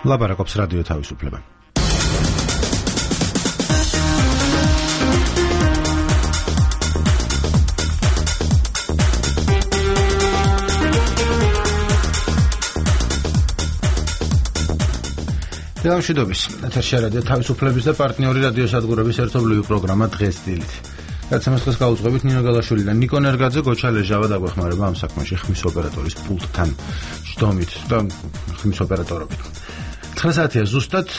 ლაპარაკობს რადიო თავისუფლება. მშვიდობის, ეთერში რადიო თავისუფლების და პარტნიორი რადიო სადგურების ერთობლივი პროგრამა დღეს დილით. გადაცემას დღეს გაუძღვებით ნინო გალაშვილი და ნიკო ნერგაძე, გოჩალე ჟავა დაგვეხმარება ამ საქმეში ხმის ოპერატორის პულტთან ჯდომით და ხმის ოპერატორობით. 9 საათია ზუსტად,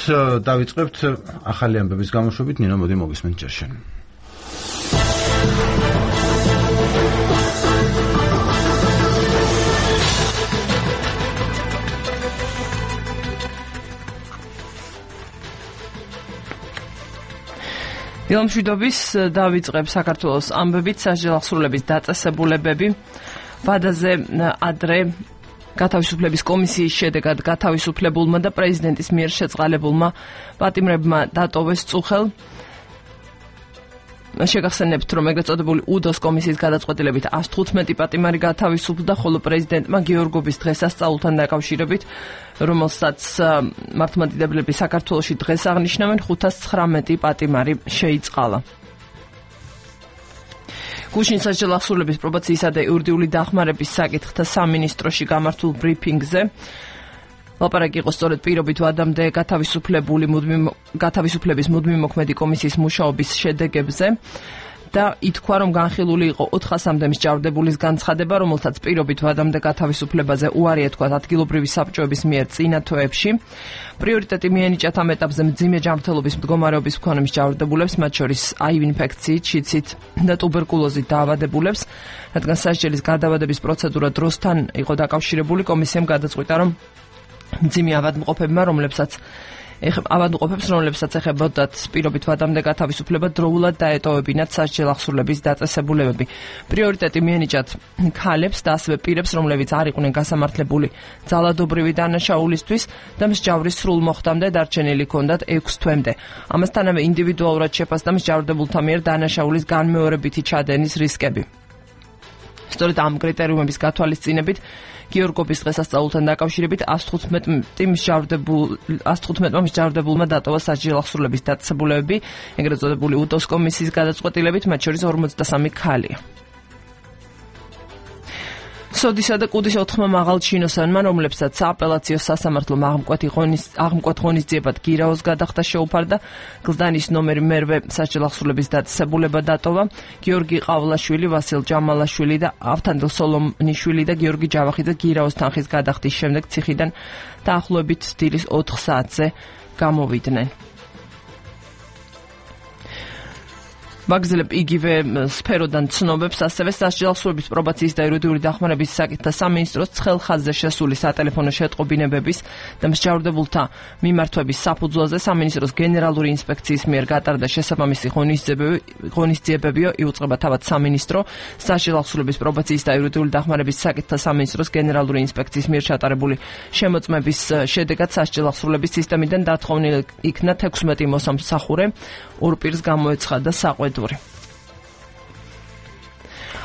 დავიწყებთ ახალი ამბების გამოშვებით. ნინო, მოდი მოგისმენთ ჯერ შენ. მშვიდობის, დავიწყებ საქართველოს ამბებით. სასჯელახსრულების დაწესებულებები ვადაზე ადრე გათავისუფლების კომისიის შედეგად გათავისუფლებულმა და პრეზიდენტის მიერ შეწყალებულმა პატიმრებმა დატოვეს წუხელ. შეგახსენებთ, რომ ეგრეთ წოდებული უდოს კომისიის გადაწყვეტილებით 115 პატიმარი გათავისუფლდა, ხოლო პრეზიდენტმა გიორგობის დღესასწაულთან დაკავშირებით, რომელსაც მართლმადიდებლები საქართველოში დღეს აღნიშნავენ, 519 პატიმარი შეიწყალა. გუშინ სასჯელახსრულების პრობაციისა და იურიდიული დახმარების საკითხთა სამინისტროში გამართულ ბრიფინგზე ლაპარაკი იყო სწორედ პირობით ვადამდე გათავისუფლების მუდმივი მოქმედი კომისიის მუშაობის შედეგებზე და ითქვა, რომ განხილული იყო 400-მდე მსჯავრდებულის განცხადება, რომელთაც პირობით ვადამდე გათავისუფლებაზე უარი ეთქვათ ადგილობრივი საბჭოების მიერ წინა თვეებში. პრიორიტეტი მიენიჭათ ამ ეტაპზე მძიმე ჯანმრთელობის მდგომარეობის მქონე მსჯავრდებულებს, მათ შორის აივ ინფექციით, შიცით და ტუბერკულოზით დაავადებულებს, რადგან სასჯელის გადავადების პროცედურა დროსთან იყო დაკავშირებული. კომისიამ გადაწყვიტა, რომ მძიმე ავადმყოფებმა, რომლებსაც ეხებოდათ პირობით ვადამდე გათავისუფლება, დროულად დაეტოვებინათ სასჯელახსრულების დაწესებულებები. პრიორიტეტი მიენიჭათ ქალებს და ასევე პირებს, რომლებიც არ იყვნენ გასამართლებული ძალადობრივი დანაშაულისთვის და მსჯავრის სრულ მოხდამდე დარჩენილი ჰქონდათ 6 თვემდე. ამასთანავე ინდივიდუალურად შეფასდა მსჯავრდებულთა მიერ დანაშაულის განმეორებითი ჩადენის რისკები. სწორედ ამ კრიტერიუმების გათვალისწინებით გიორგობის დღესასწაულთან დაკავშირებით 115 მსჯავრდებულმა დატოვა სასჯელახსრულების დაწესებულებები, ეგრეთ წოდებული უდოს კომისიის გადაწყვეტილებით, მათ შორის 53 ქალია. სოდისა და კუდის 4 მაღალ ჩინოსანმა, რომლებსაც სააპელაციო სასამართლომ აღმკვეთ ღონისძიებად გირაოს გადახდა შეუფარდა, გლდანის ნომერი მერვე სასჯელახსრულების დაწესებულება დატოვა. გიორგი ყავლაშვილი, ვასილ ჯამალაშვილი და ავთანდილ სოლომნიშვილი და გიორგი ჯავახიძე გირაოს თანხის გადახდის შემდეგ ციხიდან დაახლოებით დილის 4 საათზე გამოვიდნენ. მაგზელებ იგივე სფეროდან ცნობებს ასევე სასჯელახსრულების პრობაციის და იურიდიული დახმარების საკითხთა სამინისტროს ცხელ-ხაზზე შესული სატელეფონო შეტყობინებების და მსჯავრდებულთა მიმართვების საფუძველზე სამინისტროს გენერალური ინსპექციის მიერ გატარდა შესაბამისი ღონისძიებებიო იუწყება თავად სამინისტრო სასჯელახსრულების პრობაციის და იურიდიული დახმარების საკითხთა სამინისტროს გენერალური ინსპექციის მიერ ჩატარებული შემოწმების შედეგად სასჯელახსრულების სისტემიდან დათხოვნილი იქნა 16 მოსამსახურე, ორ პირს გამოეცხადა საყვედური.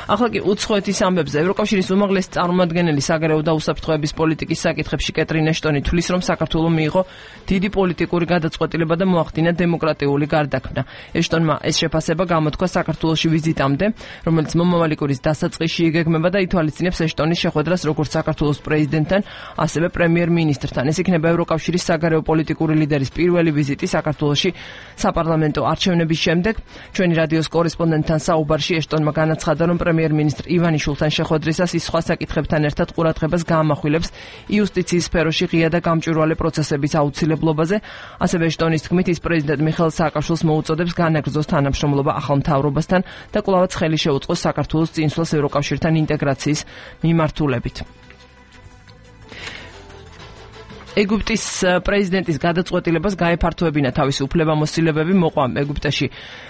ახლა კი უცხოეთის ამბებზე. ევროკავშირის უმაღლესი წარმომადგენელი საგარეო და უსაფრთხოების პოლიტიკის საკითხებში კეტრინ ეშტონი თვლის, რომ საქართველომ მიიღო დიდი პოლიტიკური გადაწყვეტილება და მოახდინა დემოკრატიული გარდაქმნა. ეშტონმა ეს შეფასება გამოთქვა საქართველოში ვიზიტამდე, რომელიც მომავალი კვირის დასაწყისში იგეგმება და ითვალისწინებს ეშტონის შეხვედრას როგორც საქართველოს პრეზიდენტთან, ასევე პრემიერ-მინისტრთან. ეს იქნება ევროკავშირის საგარეო პოლიტიკური ლიდერის პირველი ვიზიტი საქართველოში საპარლამენტო არჩევნების შემდეგ. ჩვენი რადიოს კორესპონდენტთან საუბარში ეშტონმა განაცხადა, რომ პრემიერ-მინისტრ ივანიშვილთან შეხვედრისას ის სხვა საკითხებთან ერთად ყურადღებას გაამახვილებს იუსტიციის სფეროში ღია და გამჭვირვალე პროცესების აუცილებლობაზე. ასევე ეშტონის თქმით, ის პრეზიდენტ მიხეილ სააკაშვილს მოუწოდებს განაგრძოს თანამშრომლობა ახალ მთავრობასთან და კვლავაც ხელი შეუწყოს საქართველოს წინსვლას ევროკავშირთან ინტეგრაციის მიმართულებით. ეგვიპტის პრეზიდენტის გადაწყვეტილებას გაეფართოებინა თავისი უფლებამოსილებები, მოყვა ეგვიპტეში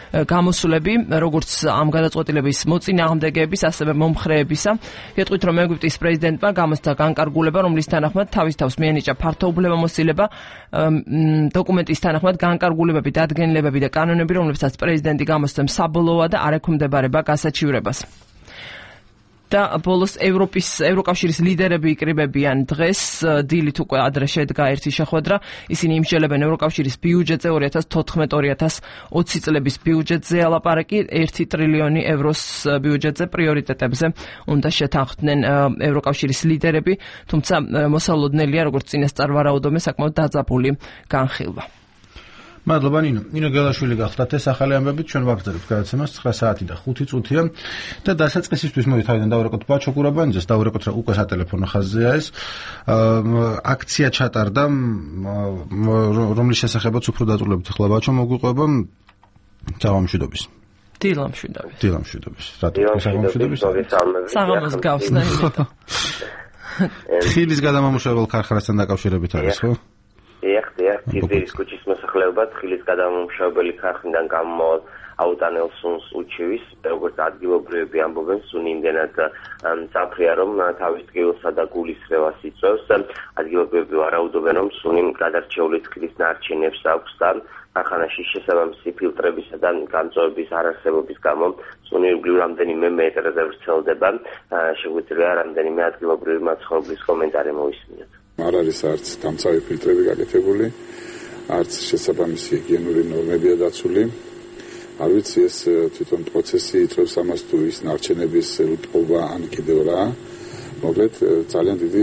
გამოსვლები, როგორც ამ გადაწყვეტილების მოწინააღმდეგეების, ასევე მომხრეებისა. გეტყვით, რომ ეგვიპტის პრეზიდენტმა გამოსცა განკარგულება, რომლის თანახმად თავის თავს მიენიჭა ფართო უფლებამოსილება, დოკუმენტის თანახმად განკარგულებები, დადგენილებები და კანონები, რომლებსაც პრეზიდენტი გამოსცემს, საბოლოოა და არ ექვემდებარება გასაჩივრებას. და ბოლოს ევროკავშირის ლიდერები იკრიბებიან დღეს, დილით უკვე ადრე შედგა ერთი შეხვედრა. ისინი იმსჯელებენ ევროკავშირის ბიუჯეტზე 2014-2020 წლების ბიუჯეტზე ალაპარაკი 1 ტრილიონი ევროს ბიუჯეტზე პრიორიტეტებზე უნდა შეთანხმდნენ ევროკავშირის ლიდერები, თუმცა მოსალოდნელია, როგორც წინასწარ ვარაუდობენ, საკმაოდ დაძაბული განხილვა. მადლობა ნინო გელაშვილი გახლდათ ეს ახალი ამბებით ჩვენ ვაგრძელებთ გადაცემას 9 საათი და 5 წუთია და დასაწყისისთვის მოდი თავიდან დავურეკოთ ბაჩო კურაბანიძეს დავურეკოთ რა უკვე სატელეფონო ხაზზეა ეს აქცია ჩატარდა რომლის შესახებაც უფრო დაწვრილებით ახლა ბაჩო მოგვიყვება საღამოშვიდობის დილამშვიდობის საღამოს გავსნა ხილის გადამამუშავებელ ქარხანასთან დაკავშირებით არის ხო? Გიძირის ქუჩის მოსახლეობა თხილის გადამამუშავებელი ქარხნიდან გამომავალ აუტანელ სუნს უჩივის, როგორც ადგილობრივები ამბობენ, სუნი იმდენად მწაფრია, რომ თავის ტკივილსა და გულის რევას იწვევს. ადგილობრივები ვარაუდობენ, რომ სუნი გადარჩეული თხილის ნარჩენებს აქვს და ქარხანაში შესაბამისი ფილტრებისა და გამწვევების არარსებობის გამო სუნი ირგვლივ რამდენიმე მეტრზე ვრცელდება. შეგვიძლია რამდენიმე ადგილობრივი მაცხოვრებლის კომენტარი მოვისმინოთ. არ არის არც დამცავი ფილტრები გაკეთებული, არც შესაბამისი ჰიგიენური ნორმებია დაცული. არ ვიცი ეს თვითონ პროცესი იწვევს ამას თუ ის ნარჩენების უტყობა ან კიდევ რა. მოკლედ ძალიან დიდი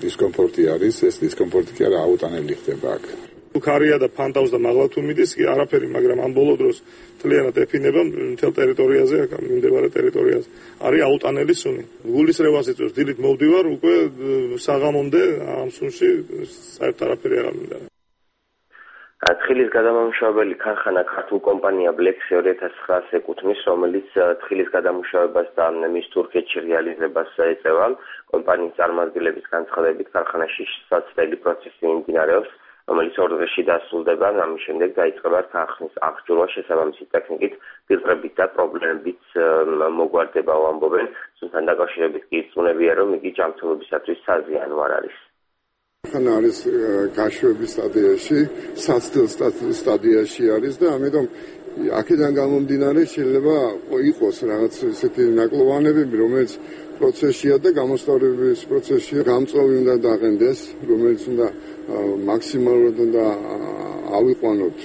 დისკომფორტი არის, ეს დისკომფორტი კი არა აუტანელი ხდება აქ. ქარია და ფანტავს და მაღლა თუ მიდის კი არაფერი, მაგრამ ამ ბოლო დროს მთლიანად ეფინება მთელ ტერიტორიაზე, აქ მიმდებარე ტერიტორიაზე. არის აუტანელი სუნი. გულის რევას იწვევს, დილით მოვდივარ, უკვე საღამომდე ამ სუნში საერთოდ არაფერი არ მინდა. თხილის გადამამუშავებელი ქარხანა ქართულ კომპანია ბლექსი 2009-ს ეკუთვნის, რომელიც თხილის გადამუშავებას და მის თურქეთში რეალიზებას ეწევა. კომპანიის წარმომადგენლების განცხადებით ქარხანაში საცდელი პროცესი მიმდინარეობს, რომელიც 2 დღეში დასრულდება, ამის შემდეგ დაიწყება ქარხნის აღჭურვა შესაბამისი ტექნიკით, ფილტრებით და პრობლემებით მოგვარდება ამბობენ, თუმცა დაკავშირებით კი იწუნებია, რომ იგი ჯანმრთელობისათვის საზიანო არ არის. ხან არის გაშვების სტადიაში, საცდელ სტადიაში არის და ამიტომ აქედან გამომდინარე შეიძლება იყოს რაღაც ესეთი ნაკლოვანები, რომელიც პროცესია და გამოსწორების პროცესია, გამწვევი უნდა დაყენდეს, რომელიც უნდა მაქსიმალურად უნდა ავიყვანოთ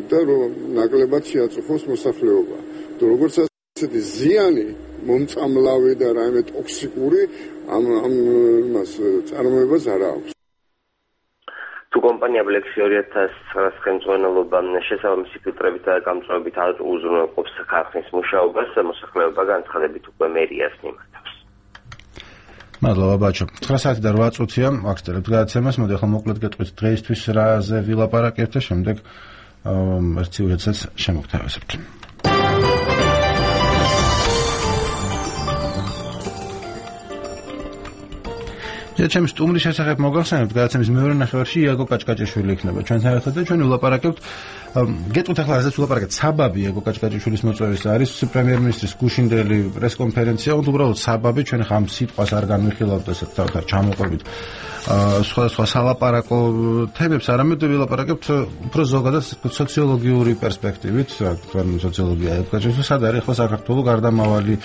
და რომ ნაკლებად შეაწუხოს მოსახლეობა. როგორც ასეთი ზიანი მომწამლავი და რაიმე ტოქსიკური ამ მას წარმოებას არ აქვს. თუ კომპანია ბლექსი 2009-ს ხელმძღვანელობა შესაბამისი ფილტრებით და გამწვევებით უზრუნველყოფს ქარხნის მუშაობას, მოსახლეობა განცხადებით უკვე მერიას მიმართავს. მადლობა ბაჩო. 9 საათი და 8 წუთია ვაგრძელებთ გადაცემას. მოდი ახლა მოკლედ გეტყვით დღეისთვის რაზე ვილაპარაკებთ და შემდეგ ერთ სიუჟეტსაც შემოგთავაზებთ. ჩემს სტუმრის შესახებ მოგახსენებთ, გადაცემის მეორე ნახევარში იაგო კაჭკაჭიშვილი იქნება ჩვენთან ერთად და ჩვენ ვილაპარაკებთ. გეტყვით ახლა რაზეც ვილაპარაკებთ, საბაბი იაგო კაჭკაჭიშვილის მოწვევის არის პრემიერ-მინისტრის გუშინდელი პრესკონფერენცია, უბრალოდ საბაბი, ჩვენ ხამ სიტყვას არ განვიხილავთ ესეთ თავთან ჩამოყვებით სხვადასხვა სალაპარაკო თემებს, არამედ ვილაპარაკებთ უფრო ზოგადად სოციოლოგიური პერსპექტივით, თქვენ სოციოლოგია იაგო კაჭკაჭიშვილს, სად არის ახლა საქართველოს გარდამავალი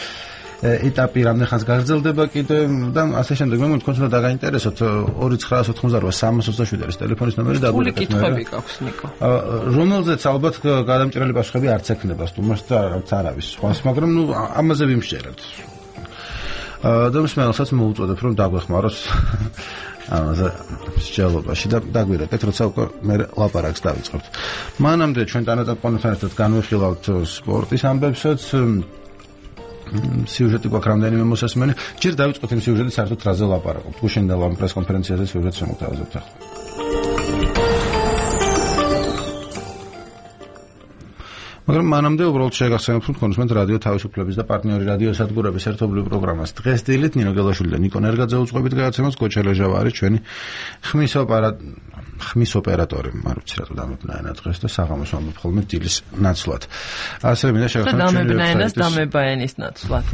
ეტაპი რამდენხანს გაგრძელდება კიდე და ასე შემდეგ. მე მგონი თქვენს უნდა დაგაინტერესოთ 2927 არის ტელეფონის ნომერი და გული კითხვები გაქვს ნიკო. რომელზეც ალბათ გადამჭრელი პასუხები არც ექნება სტუმარს და არც არავის სხვას, მაგრამ ნუ ამაზე ვიმსჯერებთ. და მსმენელსაც მოუწოდებ რომ დაგვეხმაროს ამაზე მსჯელობაში და დაგვირეკეთ, როცა უკვე მე ლაპარაკს დავიწყებთ. მანამდე ჩვენ თანატაკონთან ერთად განვიხილავთ სპორტის ამბებსაც. სიუჟეტი გვაქვს რამდენიმე მოსასმენი. ჯერ დავიწყოთ იმ სიუჟეტით, საერთოდ რაზე ლაპარაკობთ. გუშინდელ ამ პრესკონფერენციაზე სიუჟეტს შემოგთავაზებთ ახლა. მაგრამ მანამდე უბრალოდ შეგახსენებთ, რომ თქვენ უსმენთ რადიო თავისუფლების და პარტნიორი რადიო სადგურების ერთობლივ პროგრამას. დღეს დილით ნინო გელაშვილი და ნიკო ნერგაძე უძღვებით გადაცემას, გოჩელეჟავა არის ჩვენი ხმის ოპერატორი, არ ვიცი რატო დამებნაენა დღეს და საღამოს ვამბობ ხოლმე დილის ნაცვლად. ასევე მინდა შეგახსენოთ დამებნაენას დამებაენის ნაცვლად.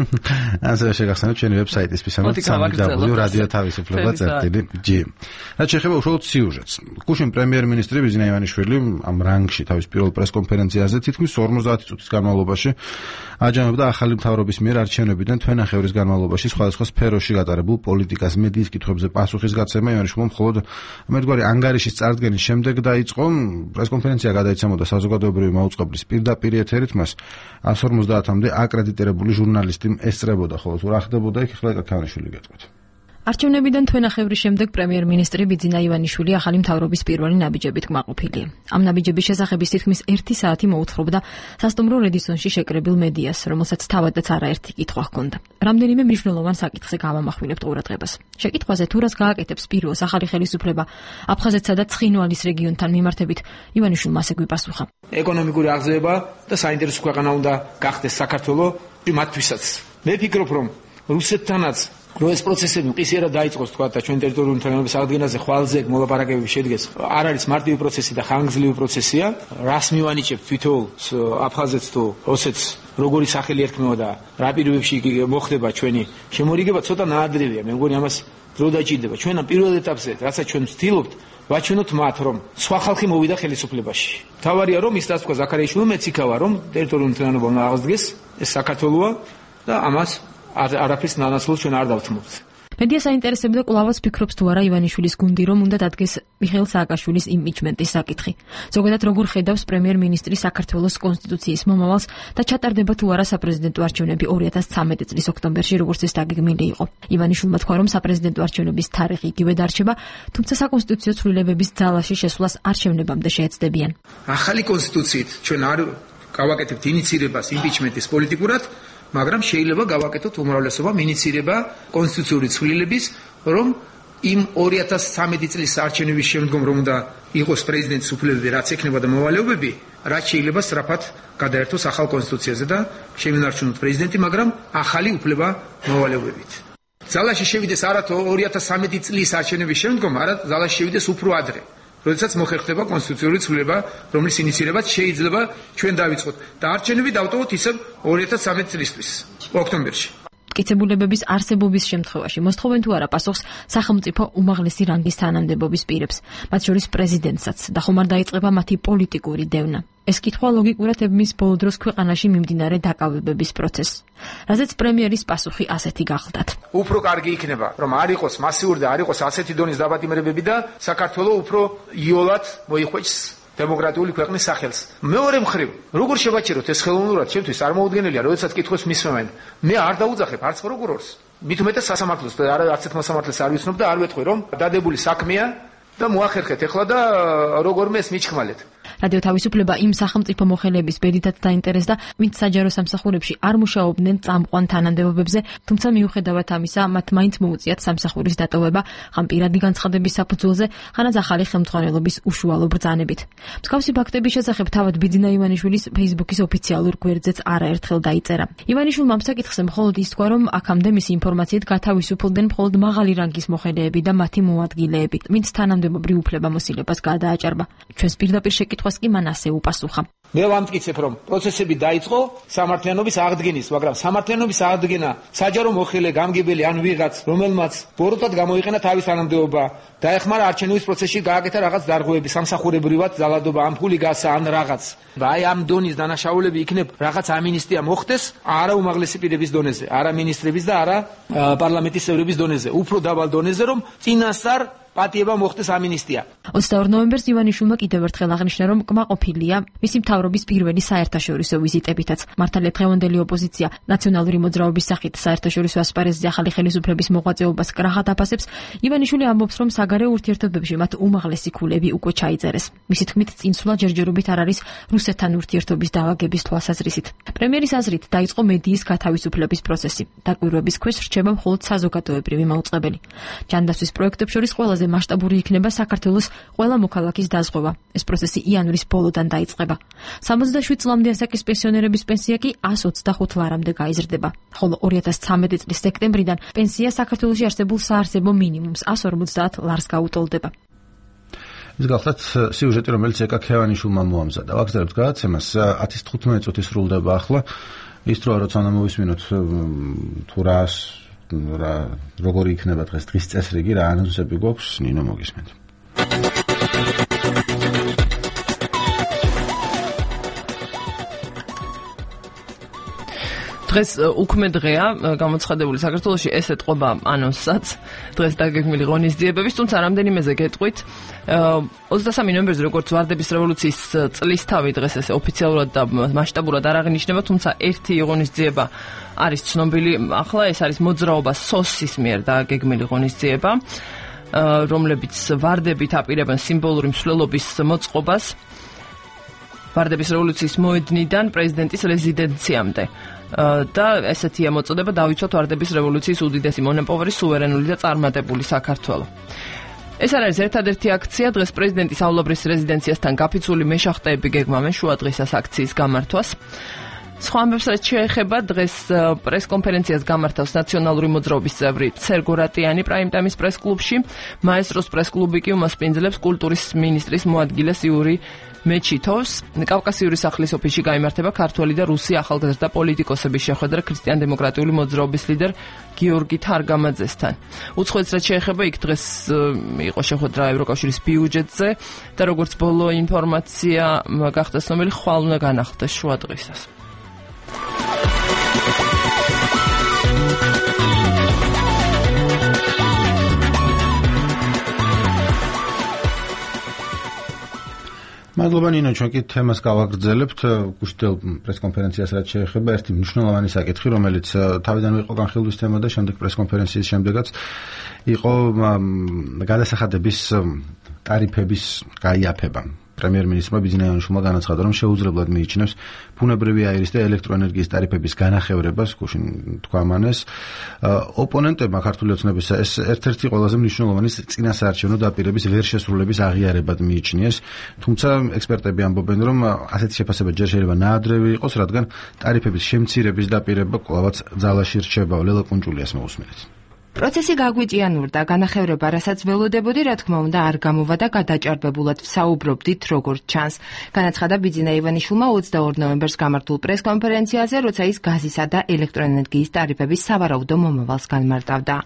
ასევე შეგახსენოთ ჩვენი ვებსაიტის www.radiotavisufleba.gi. რაც შეეხება უშუალოდ სიუჟეტს. გუშინ პრემიერ-მინისტრი ბიზნა ივანიშვილი ამ რანგში თავის პირველ პრესკონფერენციაზე თითქმის 50 წუთის განმავლობაში აჯამებდა ახალი მთავრობის მიერ არჩევნებიდან თვენახევრის განმავლობაში სხვადასხვა სფეროში გატარებულ პოლიტიკას, მედიის კითხვებზე პასუხისგაცემა ივანიშვილმა მხოლოდ მერგვარი ანგარიშის წარდგენის შემდეგ დაიწყო. პრესკონფერენცია გადაიცემოდა საზოგადოებრივი მაუწყებლის პირდაპირ ეთერით, მას 150-მდე აკრედიტირებული ჟურნალისტი ესწრებოდა, ხოლო თუ რა ხდებოდა იქ ახლა კაქიანიშვილი გეტყვით. არჩევნებიდან თვენახევრის შემდეგ პრემიერ-მინისტრი ბიძინა ივანიშვილი ახალი მთავრობის პირველი ნაბიჯებით კმაყოფილია. ამ ნაბიჯების შესახების თითქმის 1 საათი მოუთხრობდა სასტუმრო რედისონში შეკრებილ მედიას, რომელსაც თავადაც არაერთი კითხვა ჰქონდა. რამდენიმე მნიშვნელოვან საკითხზე გავამახვილებთ ყურადღებას. შეკითხვაზე თუ რას გააკეთებს პირველს ახალი ხელისუფლება აფხაზეთსა და ცხინვალის რეგიონთან მიმართებით, ივანიშვილმა ასე გვიპასუხა. ეკონომიკური აღზევება და საინტერესო ქვეყანა უნდა გახდეს საქართველოს მათთვისაც. მე ვფიქრობ, რომ რუსეთთანაც რო ეს პროცესები მყისიერად დაიწყოს თქვა და ჩვენ ტერიტორიული მთლიანობის აღდგენაზე ხვალზე მოლაპარაკებები შედგეს. არ არის მარტივი პროცესი და ხანგრძლივი პროცესია. რას მივანიჭებთ თვითონ აფხაზეთს თუ ოსეთს როგორი სახელი ერქმევა და რა პირობებში მოხდება ჩვენი შემორიგება ცოტა ნაადრევია. მე მგონი ამას დრო დაჭირდება. ჩვენ ამ პირველ ეტაპზე, რასაც ჩვენ ვცდილობთ, ვაჩვენოთ მათ, რომ სხვა ხალხი მოვიდა ხელისუფლებაში. თავარია რომ ის რაც თქვა ზაქარიაშვილი მეც იქავა, რომ ტერიტორიული მთლიანობა უნდა აღდგეს, ეს საქართველოა და ამას არაფრის ნანაცვლოდ ჩვენ არ დავთმობთ. მედია საინტერესებდა კვლავაც ფიქრობს თუ არა ივანიშვილის გუნდი, რომ უნდა დადგეს მიხეილ სააკაშვილის იმპიჩმენტის საკითხი. ზოგადად როგორ ხედავს პრემიერ-მინისტრი საქართველოს კონსტიტუციის მომავალს და ჩატარდება თუ არა საპრეზიდენტო არჩევნები 2013 წლის ოქტომბერში, როგორც ეს დაგეგმილი იყო. ივანიშვილმა თქვა, რომ საპრეზიდენტო არჩევნების თარიღი იგივე დარჩება, თუმცა საკონსტიტუციო ცვლილებების ძალაში შესვლას არჩევნებამდე შეეცდებიან. ახალი კონსტიტუციით ჩვენ არ გავაკეთებთ ინიცირებას იმპიჩმენტის პოლიტიკურად, მაგრამ შეიძლება გავაკეთოთ უმრავლესობა ინიცირება კონსტიტუციური ცვლილების, რომ იმ 2013 წლის არჩევნების შემდგომ რომ უნდა იყოს პრეზიდენტის უფლებები, რაც ექნება და მოვალეობები, რაც შეიძლება სწრაფად გადაერთოს ახალ კონსტიტუციაზე და შემენარჩუნოთ პრეზიდენტი, მაგრამ ახალი უფლება მოვალეობებით. ძალაში შევიდეს არა 2013 წლის არჩევნების შემდგომ, არა ძალაში შევიდეს უფრო ადრე. როდესაც მოხერხდება კონსტიტუციური ცვლილება, რომლის ინიცირებაც შეიძლება ჩვენ დავიწყოთ და არჩევნები დავტოვოთ ისევ 2013 წლისთვის, ოქტომბერში. მტკიცებულებების არსებობის შემთხვევაში მოსთხოვენ თუ არა პასუხს სახელმწიფო უმაღლესი რანგის თანამდებობის პირებს, მათ შორის პრეზიდენტსაც და ხომ არ დაიწყება მათი პოლიტიკური დევნა. ეს კითხვა ლოგიკურად ებმის ბოლო დროს ქვეყანაში მიმდინარე დაკავებების პროცესს. რაზეც პრემიერის პასუხი ასეთი გახლდათ. უფრო კარგი იქნება, რომ არ იყოს მასიური და არ იყოს ასეთი დონის დაბატიმრებები და საქართველოს უფრო იოლად მოიხვეჭს დემოკრატიული ქვეყნის სახელს. მეორე მხრივ, როგორ შევაჩეროთ ეს ხელოვნურად ჩემთვის წარმოუდგენელია, როდესაც კითხოს მისმევენ. მე არ დაუძახებ არც პროკურორს. მით უმეტეს სასამართლოს და არც ერთ მოსამართლეს არ ვიცნობ და არ ვეთქვი, რომ დადებული საქმეა და მოახერხეთ ეხლა და როგორმე ეს მიჩხმალეთ. რადიო თავისუფლება იმ სახელმწიფო მოხელეების ბედითაც დაინტერესდა, ვინც საჯარო სამსახურებში არ მუშაობდნენ წამყვან თანამდებობებზე, თუმცა მიუხედავად ამისა, მათ მაინც მოუწიათ სამსახურის დატოვება, ხან პირადი განცხადების საფუძველზე, ხანაც ახალი ხელმძღვანელობის უშუალო ბრძანებით. მსგავსი ფაქტების შესახებ თავად ბიძინა ივანიშვილის Facebook-ის ოფიციალურ გვერდზეც არაერთხელ დაიწერა. ივანიშვილმა ამ საკითხზე მხოლოდ ის თქვა, რომ აქამდე მისი ინფორმაციით გათავისუფლდნენ მხოლოდ მაღალი რანგის მოხელეები და მათი მოადგილეები, ვინც თანამდებობრივ უფლებამოსილებას გადააჭარბა. ჩვენს პირდაპირ შეკითხვას კი მან ასე უპასუხა. მე ვამტკიცებ, რომ პროცესები დაიწყო სამართლიანობის აღდგენის, მაგრამ სამართლიანობის აღდგენა საჯარო მოხელე, გამგებელი ან ვიღაც, რომელმაც ბოროტად გამოიყენა თავის თანამდებობა, დაეხმარა არჩევნების პროცესში გააკეთა რაღაც დარღვევები, სამსახურებრივად ძალადობა, ამ ფული გასა ან რაღაც. აი ამ დონის დანაშაულები იქნებ რაღაც ამინისტია მოხდეს, არა უმაღლესი პირების დონეზე, არა მინისტრების და არა პარლამენტის წევრების დონეზე, უფრო დაბალ დონეზე, რომ წინასწარ პატიება მოხდეს ამინისტია. 22 ნოემბერს ივანიშვილმა კიდევ ერთხელ აღნიშნა, რომ კმაყოფილია მისი მთავრობის პირველი საერთაშორისო ვიზიტებითაც. მართალია დღევანდელი ოპოზიცია ნაციონალური მოძრაობის სახით საერთაშორისო ასპარეზზე ახალი ხელისუფლების მოღვაწეობას კრახად აფასებს. ივანიშვილი ამბობს, რომ საგარეო ურთიერთობებში მათ უმაღლესი ქულები უკვე ჩაიწერეს. მისი თქმით, წინსვლა ჯერჯერობით არ არის რუსეთთან ურთიერთობის დავაგების თვალსაზრისით. პრემიერის აზრით დაიწყო მედიის გათავისუფლების პროცესი. დაკვირვების ქვეშ რჩება მხოლოდ საზოგადოებრივი მაუწყებელი. ჯანდაცვის პროექტებს შორის ყველაზე მასშტაბური იქნება საქართველოს ყველა მოქალაქის დაზღვევა. ეს პროცესი იანვრის ბოლოდან დაიწყება. 67 წლამდე ასაკის პენსიონერების პენსია კი 125 ლარამდე გაიზრდება, ხოლო 2013 წლის სექტემბრიდან პენსია საქართველოში არსებულ საარსებო მინიმუმს 150 ლარს გაუტოლდება. ეს გახლავთ სიუჟეტი, რომელიც ეკაქეევანიშვილმა მოამზადა. ვაგზავნებთ გადაცემას 10:15 წუთი სრულდება ახლა. ის დროა, როცა უნდა მოვისმინოთ თუ როგორი იქნება დღის წესრიგი, რა ანონსები გვაქვს, ნინო მოგისმენთ. დღეს უქმე დღეა გამოცხადებული საქართველოში, ეს ეთყობა ანონსსაც დღეს დაგეგმილი ღონისძიებების, თუმცა რამდენიმეზე გეტყვით. 23 ნოემბერზე როგორც ვარდების რევოლუციის წლისთავი დღეს ესე ოფიციალურად და მასშტაბურად არ აღინიშნება, თუმცა ერთი ღონისძიება არის ცნობილი ახლა, ეს არის მოძრაობა სოსის მიერ დაგეგმილი ღონისძიება, რომლებიც ვარდებით აპირებენ სიმბოლური მსვლელობის მოწყობას ვარდების რევოლუციის მოედნიდან პრეზიდენტის რეზიდენციამდე. და ესეთია მოწოდება დავიცვათ ვარდების რევოლუციის უდიდესი მონოპოვერი, სუვერენული და წარმატებული საქართველო. ეს არის ერთადერთი აქცია, დღეს პრეზიდენტის აულობრის რეზიდენციასთან გაფიცული მეშახტეები გეგმავენ შუადღისას აქციის გამართვას. სხვა ამბებს რაც შეეხება, დღეს პრესკონფერენციას გამართავს ნაციონალური მოძრაობის წევრი სერგო რატიანი პრაიმტაიმის პრესკლუბში, მაესტროს პრესკლუბი კი უმასპინძლებს კულტურის მინისტრის მოადგილეს იური მეჩითოვს. კავკასიური სახლის ოფისში გაიმართება ქართველი და რუსი ახალგაზრდა პოლიტიკოსების შეხვედრა ქრისტიან-დემოკრატიული მოძრაობის ლიდერ გიორგი თარგამაძესთან. უცხოეთს რაც შეეხება, იქ დღეს იყო შეხვედრა ევროკავშირის ბიუჯეტზე და როგორც ბოლო ინფორმაცია გახდა ცნობილი, ხვალ უნდა განახლდეს შუადღისას. მადლობა ნინო, ჩვენ კი თემას გავაგრძელებთ. გუშინდელ პრესკონფერენციას რაც შეეხება, ერთი მნიშვნელოვანი საკითხი, რომელიც თავიდანვე იყო განხილვის თემა და შემდეგ პრესკონფერენციის შემდეგაც იყო გადასახადების ტარიფების გაიაფება. პრემიერ-მინისტრმა ბიძინა ივანიშვილმა განაცხადა, რომ შეუძლებლად მიიჩნევს ბუნებრივი აირის და ელექტროენერგიის ტარიფების განახევრებას, გუშინ თქვა მანეს. ოპონენტებმა ქართული ოცნებისა ეს ერთ-ერთი ყველაზე მნიშვნელოვანი წინასაარჩევნო დაპირების ვერ შესრულების აღიარებად მიიჩნიეს, თუმცა ექსპერტები ამბობენ, რომ ასეთი შეფასება ჯერ შეიძლება ნაადრევი იყოს, რადგან ტარიფების შემცირების დაპირება კვლავაც ძალაში რჩება. ლელა კუნჭულიას მოусმინეთ. პროცესი გაგვიჭიანურდა, განახევრება, რასაც ველოდებოდი, რა თქმა უნდა, არ გამოვა და გადაჭარბებულად ვსაუბრობდით, როგორც ჩანს. განაცხადა ბიძინა ივანიშვილმა 22 ნოემბერს გამართულ პრესკონფერენციაზე, როცა ის გაზისა და ელექტროენერგიის ტარიფების სავარაუდო მომავალს განმარტავდა.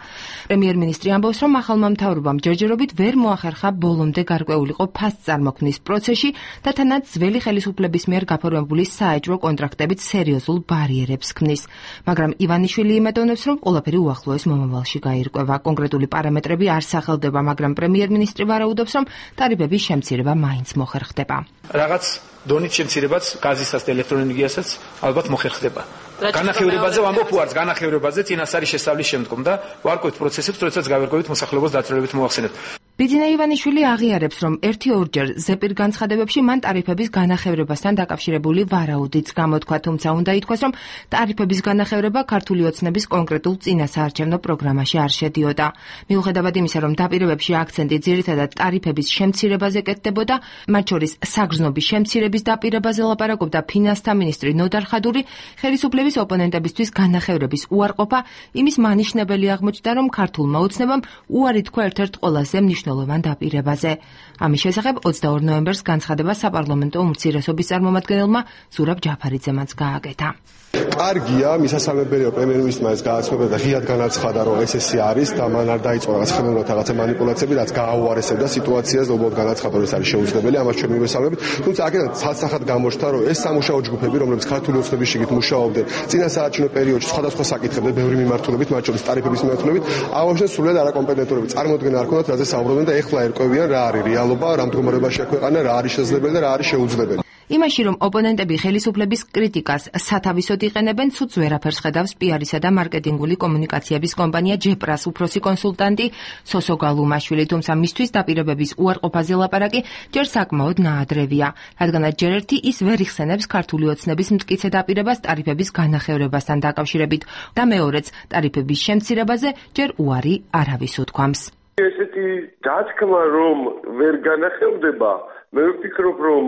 პრემიერ-მინისტრი ამბობს, რომ ახალმა მთავრობამ ჯერჯერობით ვერ მოახერხა ბოლომდე გარკვეულიყო ფასწარმოქმნის პროცესში და თანაც ძველი ხელისუფლების მიერ გაფორმებული საეჭვო კონტრაქტებით სერიოზულ ბარიერებს ქმნის. მაგრამ ივანიშვილი იმედოვნებს, რომ ყველაფერი უახლოეს მომავალში გაირკვევა. კონკრეტული პარამეტრები არ სახელდება, მაგრამ პრემიერ-მინისტრი ვარაუდობს, რომ ტარიფების შემცირება მაინც მოხერხდება. რაღაც დონით შემცირებაც გაზისაც და ელექტროენერგიასაც ალბათ მოხერხდება. განახევრებაზე ვამბობ უარს, განახევრებაზე წინასწარი შესწავლის შემდგომ და ვარკვევთ პროცესებს, როდესაც გავერკვევით მოსახლეობას დაწვრილებით მოახსენებთ. ბიძინა ივანიშვილი აღიარებს, რომ 1-2 ზეპირ განცხადებებში მან ტარიფების განახევრებასთან დაკავშირებული ვარაუდიც გამოთქვა, თუმცა უნდა ითქვას, რომ ტარიფების განახევრება ქართული ოცნების კონკრეტულ წინასაარჩევნო პროგრამაში არ შედიოდა. მიუხედავად იმისა, რომ დაპირებებში აქცენტი ძირითადად ტარიფების შემცირებაზე კეთდებოდა, მათ შორის საგრძნობის შემცირების დაპირებაზე ლაპარაკობდა ფინანსთა მინისტრი ნოდარ ხადური, ხელისუფლების ოპონენტებისთვის განახევრების უარყოფა იმის მანიშნებელი აღმოჩნდა, რომ ქართულმა ოცნებამ უარი თქვა ერთ-ერთ ყველაზე მნიშვნელოვან დაპირებაზე. ამის შესახებ 22 ნოემბერს განცხადება საპარლამენტო უმცირესობის წარმომადგენელმა ზურაბ ჯაფარიძემაც გააკეთა. კარგია, მისასალმებელია პრემიერ-მინისტრმა ეს გააცნობა და ღიად განაცხადა, რომ ეს არის და მან არ დაიწყო რაღაც ხელოვნურად რაღაცა манипуляციები, რაც გააუარესებდა სიტუაციას და უბრალოდ განაცხადა, რომ ეს არის შეუძლებელი, ამას ჩვენ მივესალმებით. თუმცა აქედან ცალსახად გამოჩნდა, რომ ეს სამუშაო ჯგუფები, რომლებიც ქართული ოცნების შიგნით მუშაობდნენ წინასაარჩევნო პერიოდში სხვადასხვა საკითხებზე, ბევრი მიმართულებით, მათ შორის ტარიფების მიმართულებით, ამავდროულად სრულად არაკომპეტენტურები წარმოადგენენ არ ქონდათ, რაზე საუბრობდნენ და ეხლა ერკვევიან რა არის რეალობა, რა მდგომარეობაშია ქვეყანა, რა არის შესაძლებელი და რა არის შეუძლებელი. იმაში, რომ ოპონენტები ხელისუფლების კრიტიკას სათავისოდ იყენებენ, ცუდს ვერაფერს ხედავს პიარისა და მარკეტინგული კომუნიკაციების კომპანია ჯეპრას უფროსი კონსულტანტი სოსო გალუმაშვილი, თუმცა მისთვის დაპირებების უარყოფაზე ლაპარაკი ჯერ საკმაოდ ნაადრევია, რადგანაც ჯერ ერთი ის ვერ იხსენებს ქართული ოცნების მტკიცე დაპირებას ტარიფების განახევრებასთან დაკავშირებით და მეორეც ტარიფების შემცირებაზე ჯერ უარი არავის უთქვამს. ესეთი დათქმა, რომ ვერ განახევდება, მე ვფიქრობ, რომ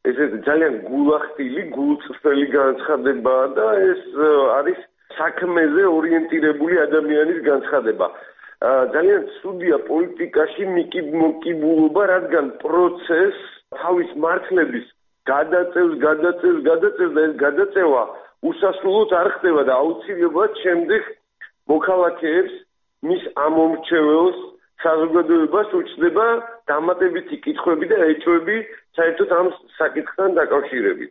ეს ძალიან გულახდილი, გულწრფელი განცხადებაა და ეს არის საქმეზე ორიენტირებული ადამიანის განცხადება. ძალიან ცუდია პოლიტიკაში მოკიბულობა, რადგან პროცესს თავის მართლების გადაწევს და ეს გადაწევა უსასრულოდ არ ხდება და აუცილებლად შემდეგ მოქალაქეებს მის ამომრჩეველს საზოგადოებას უჩნდება დამატებითი კითხვები და ეჭვები საერთოდ ამ საკითხთან დაკავშირებით.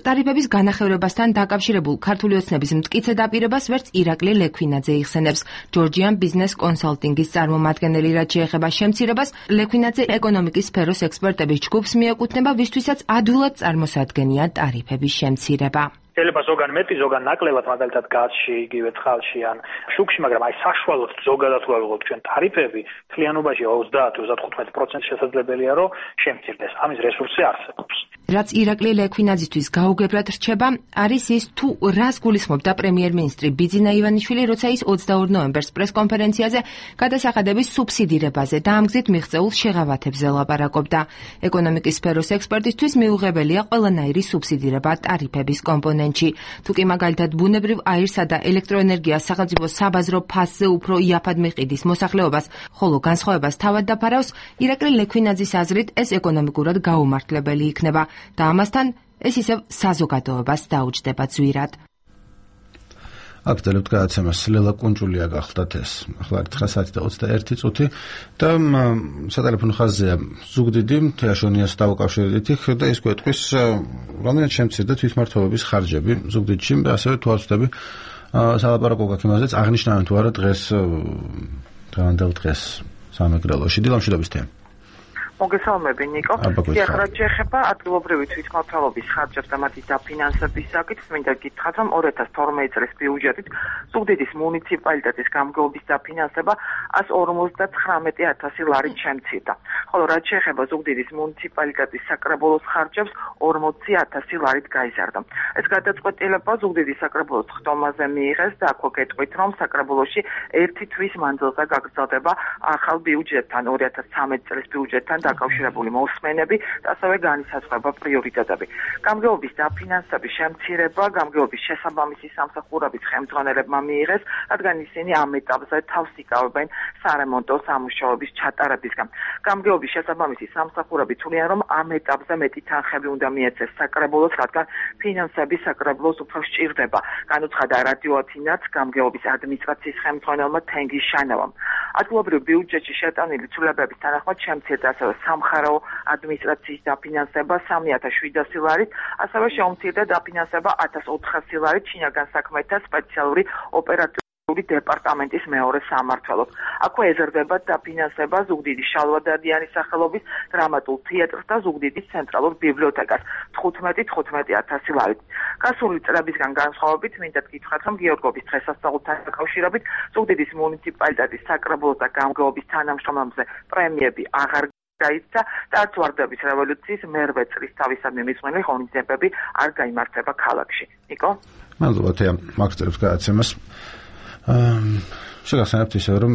ტარიფების განახევრებასთან დაკავშირებულ ქართული ოცნების მტკიცე დაპირებას ვერც ირაკლი ლექვინაძე იხსენებს. ჯორჯიან ბიზნეს კონსალტინგის წარმომადგენელი, რაც შეეხება შემცირებას, ლექვინაძე ეკონომიკის სფეროს ექსპერტების ჯგუფს მიეკუთვნება, ვისთვისაც ადვილად წარმოსადგენია ტარიფების შემცირება. შეიძლება ზოგან მეტი, ზოგან ნაკლებად, მაგალითად გაზში, იგივე წყალში ან შუქში, მაგრამ აი საშუალოდ ზოგადად ვიღოთ ჩვენ ტარიფები, მთლიანობაში 30-35% შესაძლებელია, რომ შემცირდეს. ამის რესურსი არსებობს. რაც ირაკლი ლექვინაძისთვის გაუგებრად რჩება, არის ის, თუ რას გულისხმობდა პრემიერ-მინისტრი ბიძინა ივანიშვილი, როცა ის 22 ნოემბერს პრესკონფერენციაზე გადასახადების სუბსიდირებაზე და ამ გზით მიღწეულ შეღავათებზე ლაპარაკობდა. ეკონომიკის სფეროს ექსპერტისთვის მიუღებელია ყველანაირი სუბსიდირება ტარიფების კომპონენტში. თუ კი მაგალითად ბუნებრივ აირსა და ელექტროენერგიას სახელმწიფო საბაზრო ფასზე უფრო იაფად მიყიდის მოსახლეობას, ხოლო განსხვავებას თავად დაფარავს, ირაკლი ლექვინაძის აზრით ეს ეკონომიკურად გაუმართლებელი იქნება და ამასთან ეს ისევ საზოგადოებას დაუჯდება ძვირად. აქ წერებთ გადაცემას ლელა კუნჭულია გახლდათ ეს. ახლა 9:21 და სატელეფონო ხაზია ზუგდიდი თეაშონიას დავუკავშირდით და ის გვეტყვის რამდენად შემცირდა თვითმმართველობის ხარჯები ზუგდიდში და ასევე თუ არ ვცდები სალაპარაკო გაქვს იმაზეც აღნიშნავენ თუ არა დღევანდელ დღეს სამეგრელოში დილამშვიდობის თემა. მოგესალმები ნიკო. ახლა შეეხება ადგილობრივი თვითმმართველობის ხარჯებს და მათი დაფინანსების საკითხს, მინდა გითხრათ, რომ 2012 წლის ბიუჯეტით ზუგდიდის მუნიციპალიტეტის გამგეობის დაფინანსება 159,000 ლარით შემცირდა. ხოლო რაც შეეხება ზუგდიდის მუნიციპალიტეტის საკრებულოს ხარჯებს 40,000 ლარით გაიზარდა. ეს გადაწყვეტილება ზუგდიდის საკრებულოს ხდომაზე მიიღეს და აქვე გეტყვით, რომ საკრებულოში ერთი თვის მანძილზე გაგრძელდება ახალ ბიუჯეტთან 2013 წლის ბიუჯეტთან დაკავშირებული მოსმენები და ასევე განისაზღვრება პრიორიტეტები. გამგეობის დაფინანსების შემცირება გამგეობის შესაბამისი სამსახურების ხელმძღვანელებმა მიიღეს, რადგან ისინი ამ ეტაპზე თავს იკავებენ სარემონტო სამუშაოების ჩატარებისგან. გამგეობის შესაბამისი სამსახურები თვლიან, რომ ამ ეტაპზე მეტი თანხები უნდა მიეცეს საკრებულოს, რადგან ფინანსები საკრებულოს უფრო სჭირდება. განუცხადა რადიო ათინაც გამგეობის ადმინისტრაციის ხელმძღვანელმა თენგიზ შანავამ. ადგილობრივ ბიუჯეტში შეტანილი ცვლილებების თანახმად შემცირდა ასევე სამხარეო ადმინისტრაციის დაფინანსება 3,700 ლარით, ასევე შეუმცირდა დაფინანსება 1,400 ლარით შინაგან საქმეთა სპეციალური ოპერატიული დეპარტამენტის მეორე სამმართველოს. აქვე ეზრდება დაფინანსება ზუგდიდის შალვადადიანის სახელობის დრამატულ თეატრს და ზუგდიდის ცენტრალურ ბიბლიოთეკას 15,000 ლარით. გასული წლებისგან განსხვავებით, მინდა გითხრათ, რომ გიორგობის დღესასწაულთან დაკავშირებით ზუგდიდის მუნიციპალიტეტის საკრებულოს და გამგეობის თანამშრომლებზე პრემიები აღარ გაიცა და არც ვარდების რევოლუციის მერვე წლის თავისადმი მიწვენი ღონისძიებები არ გაიმართება ქალაქში. ნიკო? მადლობა თეა, მაგწერებს გადაცემას. შეგახსენებთ ისევ, რომ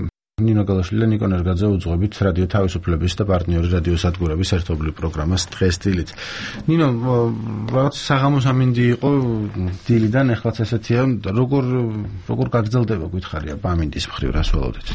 ნინო გალაშვილი და ნიკო ნერგაძე უძღვებით რადიო თავისუფლების და პარტნიორი რადიო სადგურების ერთობლივ პროგრამას დღეს დილით. ნინო, რაღაც საღამოს ამინდი იყო დილიდან, ეხლაც ესეთია, როგორ გაგრძელდება გითხარია ამინდის მხრივ, რას ველოდეთ?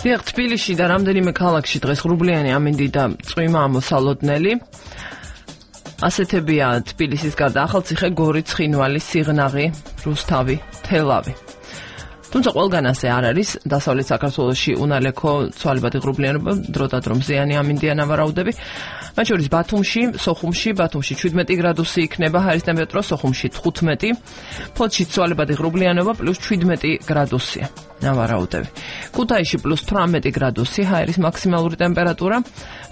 თბილისში და რამდენიმე ქალაქში დღეს ღრუბლიანი ამინდი და წვიმა ამოსალოდნელი. ასეთებია თბილისის გარდა ახალციხე, გორი, ცხინვალი, სიღნაღი, რუსთავი, თელავი. თუმცა ყველგან ასე არ არის. დასავლეთ საქართველოში უნალექო ცვალებადი ღრუბლიანობა, დროდადრო მზიანი ამინდია ნავარაუდები. მათ შორის ბათუმში, სოხუმში 17 გრადუსი იქნება ჰაერის ტემპერატურა, სოხუმში 15, ფოთში ცვალებადი ღრუბლიანობა +17 გრადუსია. ნავარაუდები. ქუთაისში +18 გრადუსი ჰაერის მაქსიმალური ტემპერატურა,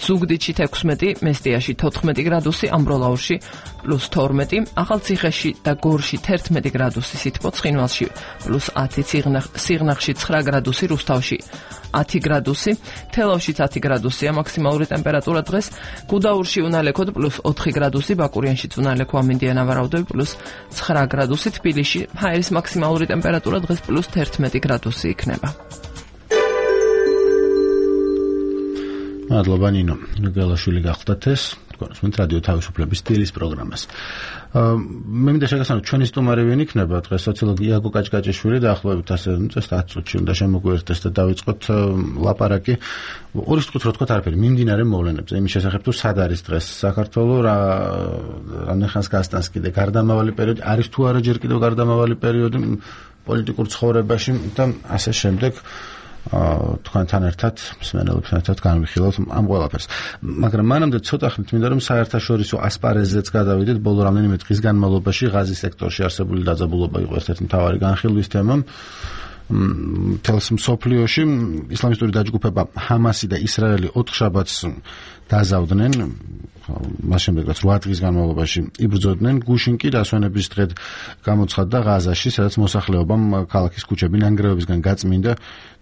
ზუგდიდში 16, მესტიაში 14 გრადუსი, ამბროლაურში +12, ახალციხეში და გორში 11 გრადუსი სითბო, ცხინვალში +10, სიღნაღში 9 გრადუსი, რუსთავში 10 გრადუსი, თელავშიც 10 გრადუსია მაქსიმალური ტემპერატურა დღეს, გუდაურში უნალექოდ +4 გრადუსი, ბაკურიანშიც უნალექო ამინდია ნავარაუდები +9 გრადუსი, თბილისში ჰაერის მაქსიმალური ტემპერატურა დღეს +11 გრადუსი იქნება. მადლობა ნინო. ნიგელაშვილი გახლდათ ეს. თქვენს რადიო თავისუფლების სტილის პროგრამას. მე მინდა შეგახსენოთ, ჩვენი სტუმარი ვინ იქნება დღეს სოციოლოგი იაგო კაჭკაჭიშვილი დაახლოებით ასე 10 წუთში უნდა შემოგვიერთდეს და დავიწყოთ ლაპარაკი. ორი სიტყვით რო თქვა არაფერი მიმდინარე მოვლენებზე, იმის შესახებ თუ სად არის დღეს საქართველო, რამხანს გასტანს კიდე გარდამავალი პერიოდი, არის თუ არა ჯერ კიდევ გარდამავალი პერიოდი პოლიტიკურ ცხოვრებაში და ასე შემდეგ. თქვენთან ერთად მსმენელებთან ერთად განვიხილავთ ამ ყველაფერს. მაგრამ მანამდე ცოტა ხნით მინდა რომ საერთაშორისო ასპარეზზეც გადავიდეთ. ბოლო რამდენიმე დღის განმავლობაში ღაზის სექტორში არსებული დაძაბულობა იყო ერთ-ერთი მთავარი განხილვის თემა. მთელს მსოფლიოში ისლამისტური დაჯგუფება ჰამასი და ისრაელი 4 შაბათს დაზავდნენ. მას შემდეგ რაც 8 დღის განმავლობაში იბრძოდნენ, გუშინ კი დასვენების დღედ გამოცხადდა ღაზაში, სადაც მოსახლეობამ ქალაქის ქუჩები ნანგრევებისგან გაწმინდა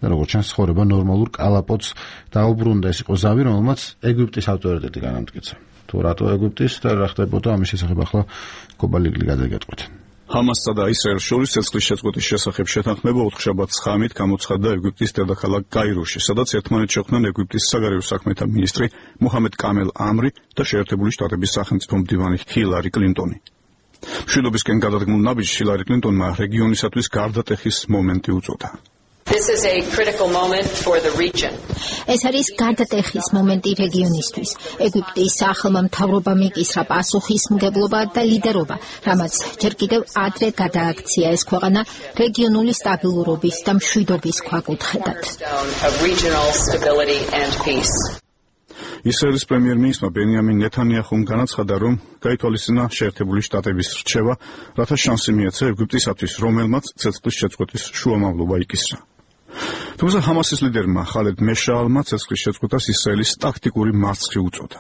და როგორც ჩანს ცხოვრება ნორმალურ კალაპოტს დაუბრუნდა. ეს იყო ზავი, რომელმაც ეგვიპტის ავტორიტეტი განამტკიცა. თუ რატო ეგვიპტის და რა ხდებოდა ამის შესახებ ახლა კობალიგლი გადაგეტყვით. ჰამასსა და ისრაელს შორის ცეცხლის შეწყვეტის შესახებ შეთანხმება 4 შაბათს ღამით გამოცხადდა ეგვიპტის დედაქალაქ კაიროში, სადაც ერთმანეთს შეხვდნენ ეგვიპტის საგარეო საქმეთა მინისტრი მუჰამედ კამელ ამრი და შეერთებული შტატების სახელმწიფო მდივანი ჰილარი კლინტონი. მშვიდობისკენ გადადგმულ ნაბიჯს ჰილარი კლინტონმა რეგიონისათვის გარდატეხის მომენტი უწოდა. This is a critical moment for the region. ეს არის გარდატეხის მომენტი რეგიონისთვის. ეგვიპტის ახალმა მთავრობამ იკისრა პასუხისმგებლობა და ლიდერობა, რამაც ჯერ კიდევ ადრე გადააქცია ეს ქვეყანა რეგიონული სტაბილურობის და მშვიდობის ქვაკუთხედად. ისრაელის პრემიერ-მინისტრმა ბენიამინ ნეთანიაჰუმ განაცხადა, რომ გაითვალისწინა შეერთებული შტატების რჩევა, რათა შანსი მიეცა ეგვიპტისათვის, რომელმაც ცეცხლის შეწყვეტის შუამავლობა იკისრა. თუმცა ჰამასის ლიდერმა ხალედ მეშაალმა ცეცხლის შეწყვეტას ისრაელის ტაქტიკური მარცხი უწოდა.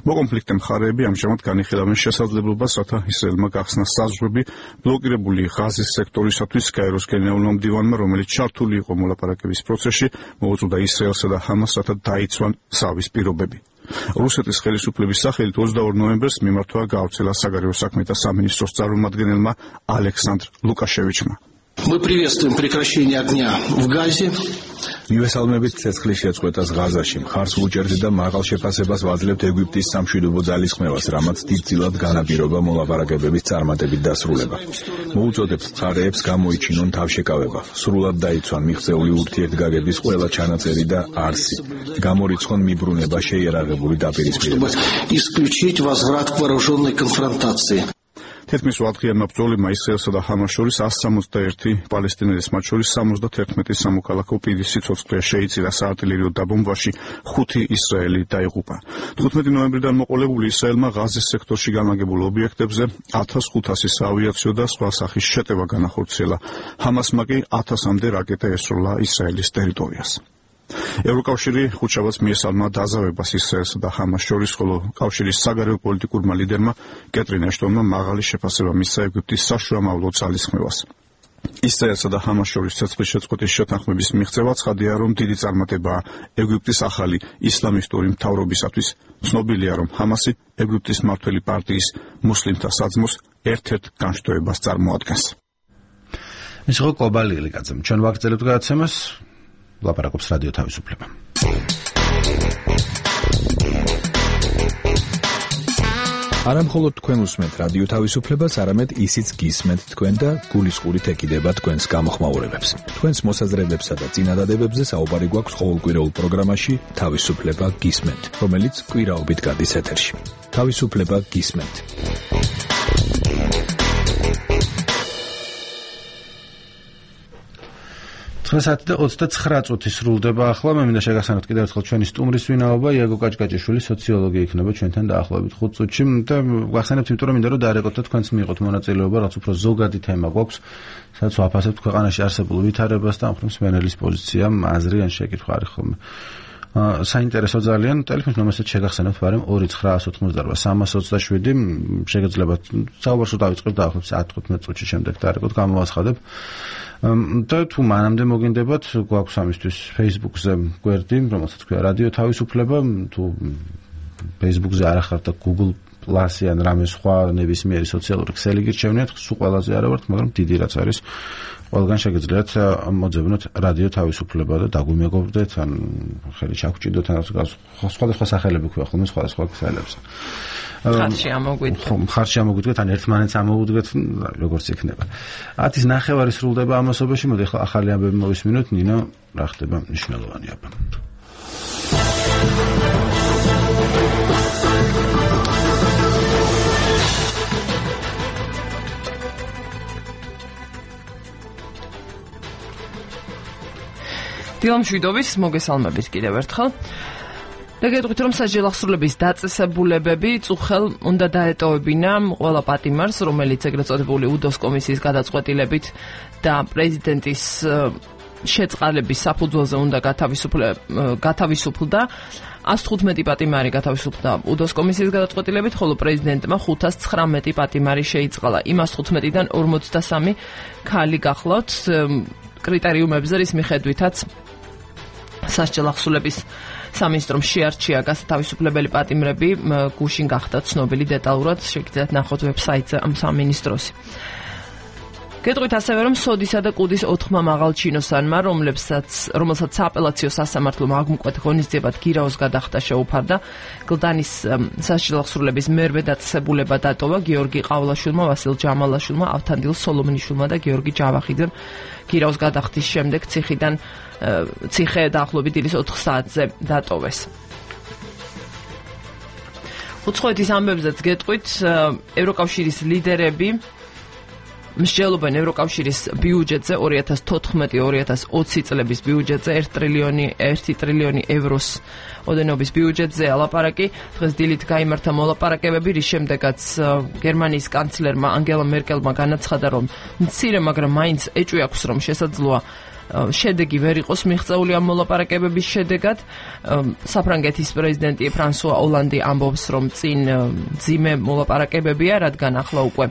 მოკონფლიქტე მხარეები ამჟამად განიხილავენ შესაძლებლობას, რათა ისრაელმა გახსნა საზღვრები ბლოკირებული ღაზის სექტორისათვის კაიროს გენერალურმა მდივანმა, რომელიც ჩართული იყო მოლაპარაკების პროცესში, მოუწოდა ისრაელსა და ჰამასს, რათა დაიცვან ზავის პირობები. რუსეთის ხელისუფლების სახელით 22 ნოემბერს მიმართვა გაავრცელა საგარეო საქმეთა სამინისტროს წარმომადგენელმა ალექსანდრ ლუკაშევიჩმა. Мы приветствуем прекращение огня в Газе. მივესალმებით ცეცხლის შეწყვეტას ღაზაში. მხარს ვუჭერთ და მაღალ შეფასებას ვაძლევთ ეგვიპტის სამშვიდობო ძალისხმევას, რამაც დიდწილად განაპირობა მოლაპარაკებების წარმატებით დასრულება. მოუწოდებთ მხარეებს გამოიჩინონ თავშეკავება, სრულად დაიცვან მიღწეული ურთიერთგაგების ყველა ჩანაწერი და არსი, გამორიცხონ მიბრუნება შეიარაღებული დაპირისპირება. Исключить возврат к вооруженной конфронтации. თითქმის 8-დღიანმა ბრძოლებმა ისრაელსა და ჰამას შორის 161 პალესტინელის, მათ შორის 71 სამოქალაქო პირის სიცოცხლე შეიწირა საარტილერიო დაბომბვაში, 5 ისრაელი დაიღუპა. 15 ნოემბრიდან მოყოლებული ისრაელმა ღაზის სექტორში განლაგებულ ობიექტებზე 1500 საავიაციო და სხვა სახის შეტევა განახორციელა. ჰამასმა კი 1000-მდე რაკეტა ესროლა ისრაელის ტერიტორიას. ევროკავშირი ხუთშაბათს მიესალმა დაზავებას ისრაელსა და ჰამას შორის, ხოლო კავშირის საგარეო პოლიტიკურმა ლიდერმა კეტრინ აშტონმა მაღალი შეფასება მისცა ეგვიპტის საშუამავლო ძალისხმევას. ისრაელსა და ჰამას შორის ცეცხლის შეწყვეტის შეთანხმების მიღწევა ცხადია, რომ დიდი წარმატებაა ეგვიპტის ახალი ისლამისტური მთავრობისათვის. ცნობილია, რომ ჰამასი ეგვიპტის მმართველი პარტიის მუსლიმთა საძმოს ერთ-ერთ განშტოებას წარმოადგენს. ეს იყო კობალილი კაცემ. ჩვენ ვაგრძელებთ გადაცემას. ლაპარაკობს რადიო თავისუფლება. არა მხოლოდ თქვენ უსმენთ რადიო თავისუფლებას, არამედ ისიც გისმენთ თქვენ და გულისყურით ეკიდება თქვენს გამოხმაურებებს. თქვენს მოსაზრებებსა და წინადადებებზე საუბარი გვაქვს ყოველკვირეულ პროგრამაში თავისუფლება გისმენთ, რომელიც კვირაობით გადის ეთერში. თავისუფლება გისმენთ. საათი და 29 წუთი სრულდება ახლა. მე მინდა შეგახსენოთ კიდევ ერთხელ ჩვენი სტუმრის ვინაობა, იაგო კაჭკაჭიშვილი, სოციოლოგი იქნება ჩვენთან დაახლოებით 5 წუთში და ვახსენებთ, იმიტომ რომ მინდა რომ დაერეკოთ და თქვენც მიიღოთ მონაწილეობა, რაც უფრო ზოგადი თემა გვაქვს, სადაც ვაფასებთ ქვეყანაში არსებულ ვითარებას და ამ მსმენელის პოზიცია, აზრი ან შეკითხვა არის ხოლმე. საინტერესო ძალიან. ტელეფონის ნომერსაც შეგახსენებთ, მაგრამ 2988-327 შეგეძლებათ საუბარს დავიწყებთ დაახლოებით 10-15 წუთში შემდეგ დაერეკოთ, გამოვაცხადებ. და თუ მანამდე მოგინდებათ, გვაქვს ამისთვის Facebook-ზე გვერდი, რომელსაც ქვია რადიო თავისუფლება, თუ Facebook-ზე არ ახართ და Google პლასი ან რამე სხვა ნებისმიერი სოციალური ქსელი გირჩევნიათ, სულ ყველაზე არა ვართ, მაგრამ დიდი რაც არის ყველგან შეგიძლიათ მოძებნოთ რადიო თავისუფლება და დაგვიმეგობრდეთ, ან ხელი ჩაგჭიდოთ, ან სხვადასხვა სახელები ქვია ხოლმე სხვადასხვა ქსელებს. ხარში ამოგვიდგეთ, ან ერთმანეთს ამოუდგეთ, როგორც იქნება. 10:09 სრულდება ამასობაში, მოდი ახლა ახალი ამბები მოვისმინოთ, ნინო, რა ხდება მნიშვნელოვანი აბა. დილამშვიდობის მოგესალმებით კიდევ ერთხელ. და გეტყვით, რომ სასჯელ აღსრულების დაწესებულებები წუხელ უნდა დაეტოვებინა ყველა პატიმარს, რომელიც ეგრეთ წოდებული უდოს კომისიის გადაწყვეტილებით და პრეზიდენტის შეწყალების საფუძველზე უნდა გათავისუფლდა. 115 პატიმარი გათავისუფლდა უდოს კომისიის გადაწყვეტილებით, ხოლო პრეზიდენტმა 519 პატიმარი შეიწყალა. იმ 115-დან 43 ქალი გახლავთ კრიტერიუმებზე, რის მიხედვითაც სასჯელ აღსრულების სამინისტრომ შეარჩია გასათავისუფლებელი პატიმრები, გუშინ გახდა ცნობილი დეტალურად, შეგიძლიათ ნახოთ ვებსაიტზე ამ სამინისტროსი. გეტყვით ასევე, რომ სოდისა და კუდის 4 მაღალ ჩინოსანმა, რომელსაც სააპელაციო სასამართლომ აღმკვეთ ღონისძიებად გირაოს გადახდა შეუფარდა, გლდანის სასჯელ აღსრულების მერვე დაწესებულება დატოვა გიორგი ყავლაშვილმა, ვასილ ჯამალაშვილმა, ავთანდილ სოლომონიშვილმა და გიორგი ჯავახიძემ. გირაოს გადახდის შემდეგ ციხე დაახლოებით დილის 4 საათზე დატოვეს. უცხოეთის ამბებზეც გეტყვით, ევროკავშირის ლიდერები მსჯელობენ ევროკავშირის ბიუჯეტზე 2014-2020 წლების ბიუჯეტზე 1 ტრილიონი ევროს ოდენობის ბიუჯეტზე ალაპარაკი. დღეს დილით გაიმართა მოლაპარაკებები, რის შემდეგაც გერმანიის კანცლერმა ანგელა მერკელმა განაცხადა, რომ მცირე, მაგრამ მაინც ეჭვი აქვს, რომ შესაძლოა შედეგი ვერ იყოს მიღწეული ამ მოლაპარაკებების შედეგად. საფრანგეთის პრეზიდენტი ფრანსუა ოლანდი ამბობს, რომ წინ ძიმე მოლაპარაკებებია, რადგან ახლა უკვე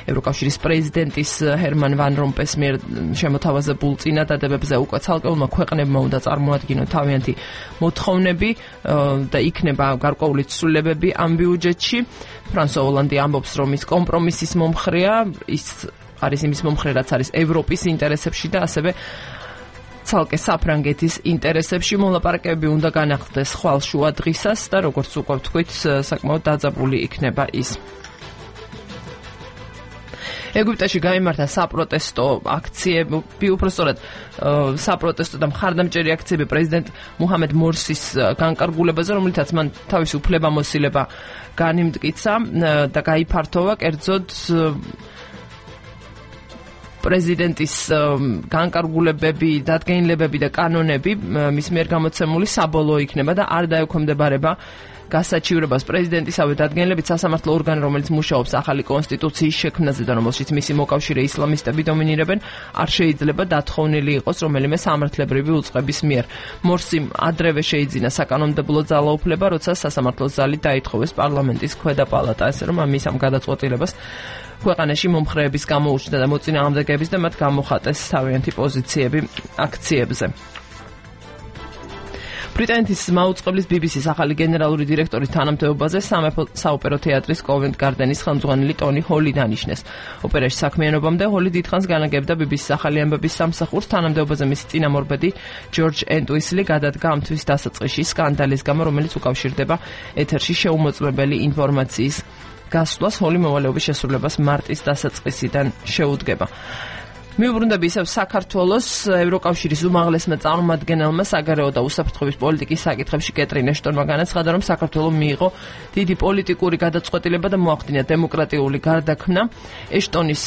ევროკავშირის პრეზიდენტის ჰერმან ვან რომპეს მიერ შემოთავაზებულ წინადადებებზე უკვე ცალკეულმა ქვეყნებმა უნდა წარმოადგინონ თავიანთი მოთხოვნები და იქნება გარკვეული ცვლილებები ამ ბიუჯეტში. ფრანსუა ოლანდი ამბობს, რომ ის კომპრომისის მომხრეა, ის არის იმის მომხრე, რაც არის ევროპის ინტერესებში და ასევე ცალკე საფრანგეთის ინტერესებში. მოლაპარაკებები უნდა განახლდეს ხვალშუა დღისას და როგორც უკვე ვთქვით, საკმაოდ დაძაბული იქნება ის. ეგვიპტეში გაიმართა საპროტესტო აქციები, უпростоრად საპროტესტო და მხარდამჭერი აქციები პრეზიდენტ მუჰამედ მორსის განკარგულებაზე, რომლითაც მან თავისი უფლებამოსილება განიმტკიცა და გაიფართოვა, კერძოდ პრეზიდენტის განკარგულებები, დადგენილებები და კანონები მის მიერ გამოცემული საბოლოო იქნება და არ დაექვემდებარება გასაჩივრებას. პრეზიდენტისავე დადგენილებით სასამართლო ორგანო, რომელიც მუშაობს ახალი კონსტიტუციის შექმნაზე და რომელშიც მისი მოკავშირე ისლამისტები დომინირებენ, არ შეიძლება დათხოვნილი იყოს რომელიმე სამართლებრივი უწყების მიერ. მორსიმ ადრევე შეიძინა საკანონმდებლო ძალაუფლება, როცა სასამართლოს ზალი დაითხოვეს პარლამენტის ქვედა პალატა, ასე რომ ამის ამ გადაწყვეტილებას ქვეყანაში მომხრეების გამოუჩნდა და მოწინააღმდეგეების და მათ გამოხატეს თავიანთი პოზიციები აქციებზე. ბრიტანეთის მაუწყებლის BBC-ს ახალი გენერალური დირექტორის თანამდებობაზე სამეფო საოპერო თეატრის კოვენტ გარდენის ხელმძღვანელი ტონი ჰოლი დანიშნეს. ოპერაში საქმიანობამდე ჰოლი დიდხანს განაგებდა BBC-ს ახალი ამბების სამსახურს. თანამდებობაზე მისი წინამორბედი ჯორჯ ენტვისლი გადადგა ამ თვის დასაწყისში სკანდალის გამო, რომელიც უკავშირდება ეთერში შეუმოწმებელი ინფორმაციის გასვლას. ჰოლი მოვალეობის შესრულებას მარტის დასაწყისიდან შეუდგება. მიუბრუნდები ისევ საქართველოს ევროკავშირის უმაღლესმა წარმომადგენელმა საგარეო და უსაფრთხოების პოლიტიკის საკითხებში კეტრინ ეშტონმა განაცხადა, რომ საქართველოს მიიღო დიდი პოლიტიკური გადაწყვეტილება და მოახდინა დემოკრატიული გარდაქმნა. ეშტონმა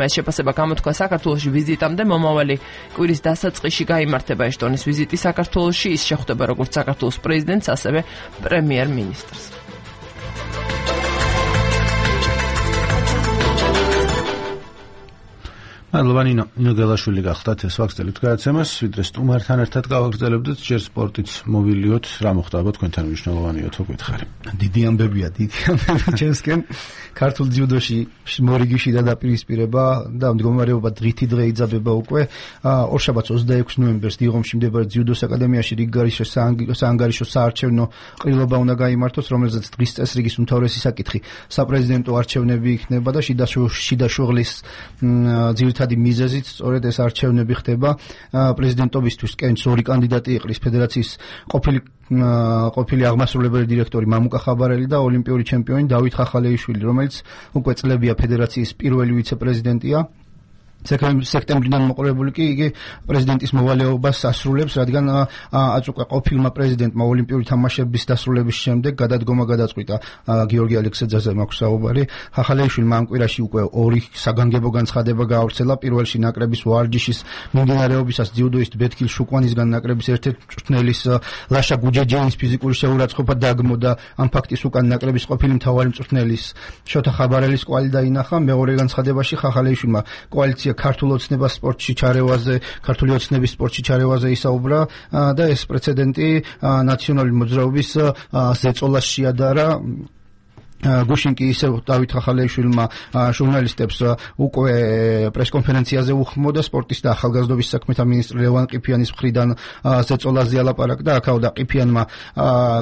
ეს შეფასება გამოთქვა საქართველოში ვიზიტამდე. მომავალი კვირის დასაწყისში გაიმართება ეშტონის ვიზიტი საქართველოში. ის შეხვდება როგორც საქართველოს პრეზიდენტს, ასევე პრემიერ-მინისტრს. მადლობა ნინო გელაშვილი გახდათ ეს ვაგრძელებთ გადაცემას, ვიდრე სტუმართან ერთად გავაგრძელებდით, ჯერ სპორტიც მოვილიოთ, რა მოხდა ალბათ თქვენთან მნიშვნელოვანია თუ გითხარი. დიდი ამბებია ჩემსკენ ქართულ ძიუდოში მორიგიში დაპირისპირება და მდგომარეობა დღითი დღე იძაბება უკვე. ორშაბათს 26 ნოემბერს დიღომში მდებარე ძიუდოს აკადემიაში საანგარიშო საარჩევნო ყრილობა უნდა გაიმართოს, რომელზეც დღის წესრიგის უმთავრესი საკითხი საპრეზიდენტო არჩევნები იქნება და შიდა შუღლის ძირითადი მიზეზით სწორედ ეს არჩევნები ხდება. პრეზიდენტობისთვის კენჭს ორი კანდიდატი იყრის ფედერაციის ყოფილი აღმასრულებელი დირექტორი მამუკა ხაბარელი და ოლიმპიური ჩემპიონი დავით ხახალეიშვილი, რომელიც უკვე წლებია ფედერაციის პირველი ვიცე-პრეზიდენტია. სექტემბრიდან მოყოლებული კი იგი პრეზიდენტის მოვალეობას ასრულებს, რადგან აწუყა ყოფილმა პრეზიდენტმა ოლიმპიური თამაშების დასრულების შემდეგ გადადგომა გადაწყვიტა. გიორგი ალექსეძეზე მაქვს საუბარი. ხახალეიშვილმა ამ კვირაში უკვე ორი საგანგებო განცხადება გაავრცელა. პირველში ნაკრების ვარჯიშის მიმდინარეობისას ძიუდოისტ ბეთქილ შუკვანისგან ნაკრების ერთ-ერთი მწვრთნელის ლაშა გუჯეჯენის ფიზიკური შეურაცხყოფა დაგმო და ამ ფაქტის უკან ნაკრების ყოფილი მთავარი მწვრთნელის შოთა ხაბარელის კვალი დაინახა. მეორე განცხადებაში ხახალეიშვილმა კოალიცია ქართული ოცნების სპორტში ჩარევაზე ისაუბრა და ეს პრეცედენტი ნაციონალური მოძრაობის ზეწოლას შეადარა. გუშინ კი ისევ დავით ხახალეიშვილმა ჟურნალისტებს უკვე პრესკონფერენციაზე უხმო და სპორტის და ახალგაზრდობის საქმეთა მინისტრი ლევან ყიფიანის მხრიდან ზეწოლაზე ალაპარაკდა. აქაოდა ყიფიანმა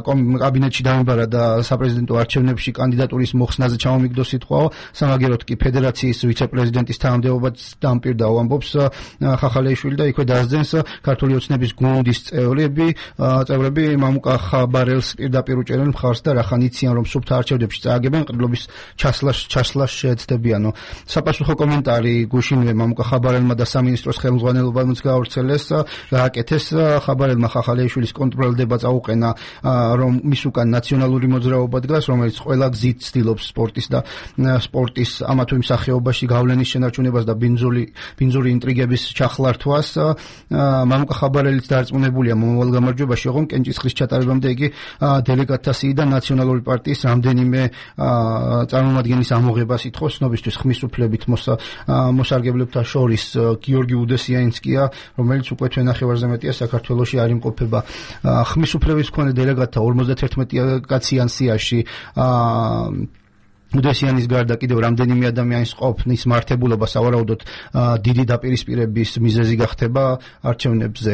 კაბინეტში დამიბარა და საპრეზიდენტო არჩევნებში კანდიდატურის მოხსნაზე ჩამომიგდო სიტყვაო. სამაგეროდ კი ფედერაციის ვიცე-პრეზიდენტის თანამდებობაც დამპირდაო, ამბობს ხახალეიშვილი და იქვე დასძენს ქართული ოცნების გუნდის წევრები მამუკა ხაბარელს პირდაპირ უჭერენ მხარს და რახან იციან რომ სუფთა არჩევნებში წააგებენ ყრილობის ჩასლას შეეცდებიანო. საპასუხო კომენტარი გუშინვე მამუკა ხაბარელმა და სამინისტროს ხელმძღვანელობამ გაავრცელეს. გააკეთეს ხაბარელმა ხახალეიშვილის კონტროლდება წაუყენა რომ მის უკან ნაციონალური მოძრაობა დგას, რომელიც ყველა გზით ცდილობს სპორტის ამა თუ იმ სახეობაში გავლენის შენარჩუნებას და ბინძური ინტრიგების ჩახლართვას. მამუკა ხაბარელის დარწმუნებულია მომავალ გამარჯვებაში, ოღონდ კენჭისყრის ჩატარებამდე იგი დელეგატთა სიიდან ნაციონალური პარტიის რამდენიმე წარმომადგენლის ამოღებას ითხოვს. ცნობისთვის ხმის უფლებით მოსარგებლებთა შორის გიორგი უდესიანსკია, რომელიც უკვე თვენახევარზე მეტია საქართველოში არ იმყოფება. ხმის უფლების მქონე დელეგატთა 51 კაციან სიაში უდესიანის გარდა კიდევ რამდენიმე ადამიანის ყოფნის მართებულობა სავარაუდოდ დიდი დაპირისპირების მიზეზი გახდება არჩევნებზე.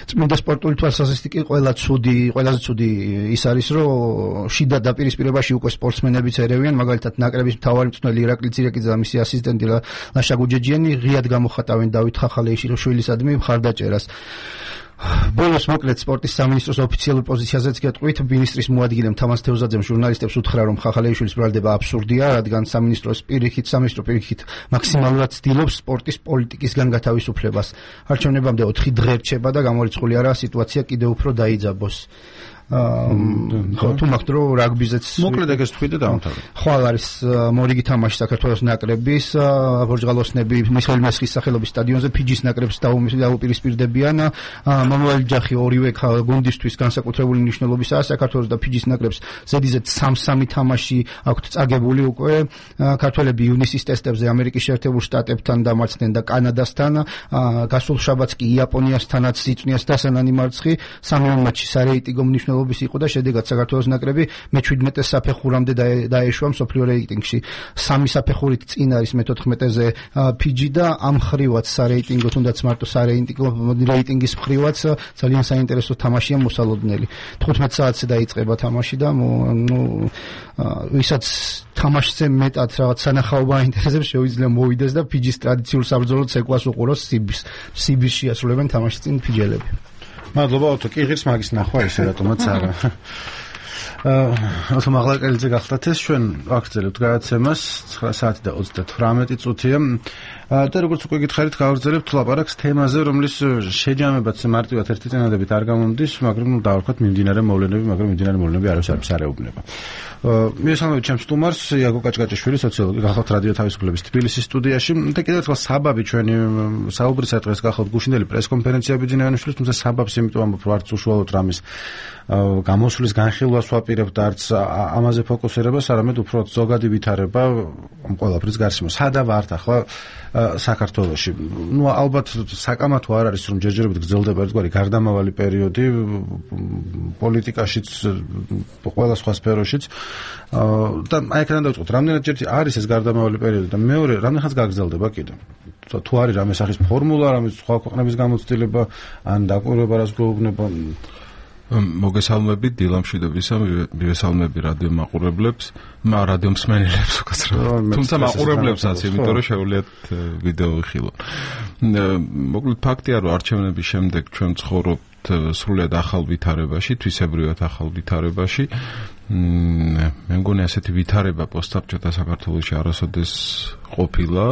წმინდა სპორტული თვალსაზრისით კი ყველაზე ცუდი ის არის, რომ შიდა დაპირისპირებაში უკვე სპორტსმენებიც ერევიან, მაგალითად ნაკრების მთავარი მწვრთნელი ირაკლი ძირეკიძე და მისი ასისტენტი ლაშა გუჯეჯიანი ღიად გამოხატავენ დავით ხახალეიშვილისადმი მხარდაჭერას. ბოლოს მოკლედ სპორტის სამინისტროს ოფიციალურ პოზიციაზეც გეტყვით, მინისტრის მოადგილემ თამაზ თევზაძემ ჟურნალისტებს უთხრა, რომ ხახალეიშვილის ბრალდება აბსურდია, რადგან სამინისტრო პირიქით მაქსიმალურად ცდილობს სპორტის პოლიტიკისგან გათავისუფლებას. არჩევნებამდე 4 დღე რჩება და გამორიცხული არაა სიტუაცია კიდევ უფრო დაიძაბოს. თუ მაგ დრო რაგბიზეც მოკლედ ეგეს თქვი და დავამთავრე. ხვალ არის მორიგი თამაში საქართველოს ნაკრების ბორჯღალოსნები მიხეილ მესხის სახელობის სტადიონზე ფიჯის ნაკრებს დაუპირისპირდებიან. მომავალი ჯახი ორივე გუნდისთვის განსაკუთრებული მნიშვნელობისაა. საქართველოს და ფიჯის ნაკრებს ზედიზედ 3-3 თამაში აქვთ წაგებული უკვე. ქართველები ივნისის ტესტებზე ამერიკის შეერთებულ შტატებთან დამარცხდნენ და კანადასთან. გასულ შაბათს კი იაპონიასთანაც იწვნიეს დასანანი მარცხი. სამივე მატჩი სარეიტინგო მნიშვნელობის იყო და შედეგად საქართველოს ნაკრები მე-17 საფეხურამდე დაეშვა მსოფლიო რეიტინგში. 3 საფეხურით წინ არის მე-14-ზე ფიჯი და ამ ხრივაც სარეიტინგო, თუნდაც მარტო სარეიტინგო რეიტინგის ხრივაც ძალიან საინტერესო თამაშია მოსალოდნელი. 15 საათზე დაიწყება თამაში და ვისაც თამაშზე მეტად რაღაც სანახაობა აინტერესებს, შეუძლია მოვიდეს და ფიჯის ტრადიციულ საბრძოლო ცეკვას უყუროს სიბისში ასრულებენ თამაშის წინ ფიჯელები. მადლობა ოტო, კი ღირს მაგის ნახვა ისე რატომაც არა. ოტო მაღლაკელიძე გახდათ ეს ჩვენ ვაგრძელებთ გადაცემას 9 საათი და 38 წუთია. და როგორც უკვე გითხარით, გავაგრძელებთ ლაპარაკს თემაზე, რომლის შეჯამებაც მარტივად ერთი წინადებით არ გამომდის, მაგრამ დავარქვათ მიმდინარე მოვლენები, მაგრამ მიმდინარე მოვლენები არავის არ ეუბნება. მისამოვით ჩემს სტუმარს იაგო კაჭკაჭიშვილი, სოციოლოგი, გახავთ რადიო თავისუფლების თბილისის სტუდიაში და კიდევ ერთხელ საბაბი ჩვენი საუბრისა დღეს გახავთ გუშინდელი პრესკონფერენცია ბიძინეანიშვილის, თუმცა საბაბს იმიტომ ამბობ, რომ არც უშუალოდ რამის გამოსვლის განხილვას ვაპირებთ, არც ამაზე ფოკუსირებას, არამედ უფრო ზოგადი ვითარება ამ ყველაფრის გარშემო. სადა ვართ ახლა საქართველოში? ნუ ალბათ საკამათო არ არის, რომ ჯერჯერობით გრძელდება ერთგვარი გარდამავალი პერიოდი პოლიტიკაშიც, ყველა სხვა სფეროშიც. და აი აქედან დავიწყოთ, რამდენადჯერ არის ეს გარდამავალი პერიოდი და მეორე, რამდენხანს გაგრძელდება კიდე? თუ არის რამე სახის ფორმულა, რამე სხვა ქვეყნების გამოცდილება, ან დაკვირვება, რაც გვეუბნება? მოგესალმებით დილამშვიდობისა, მივესალმები რადიო მაყურებლებს, რადიო მსმენელებს უკაცრავად. თუმცა მაყურებლებსაც, იმიტომ რომ შეუძლიათ ვიდეო ვიხილოთ. მოკლედ ფაქტია, რომ არჩევნების შემდეგ ჩვენ ცხოვრობთ სრულიად ახალ ვითარებაში, თვისებრივად ახალ ვითარებაში. მე მგონი ასეთი ვითარება პოსტსაბჭოთა საქართველოში არასოდეს ყოფილა.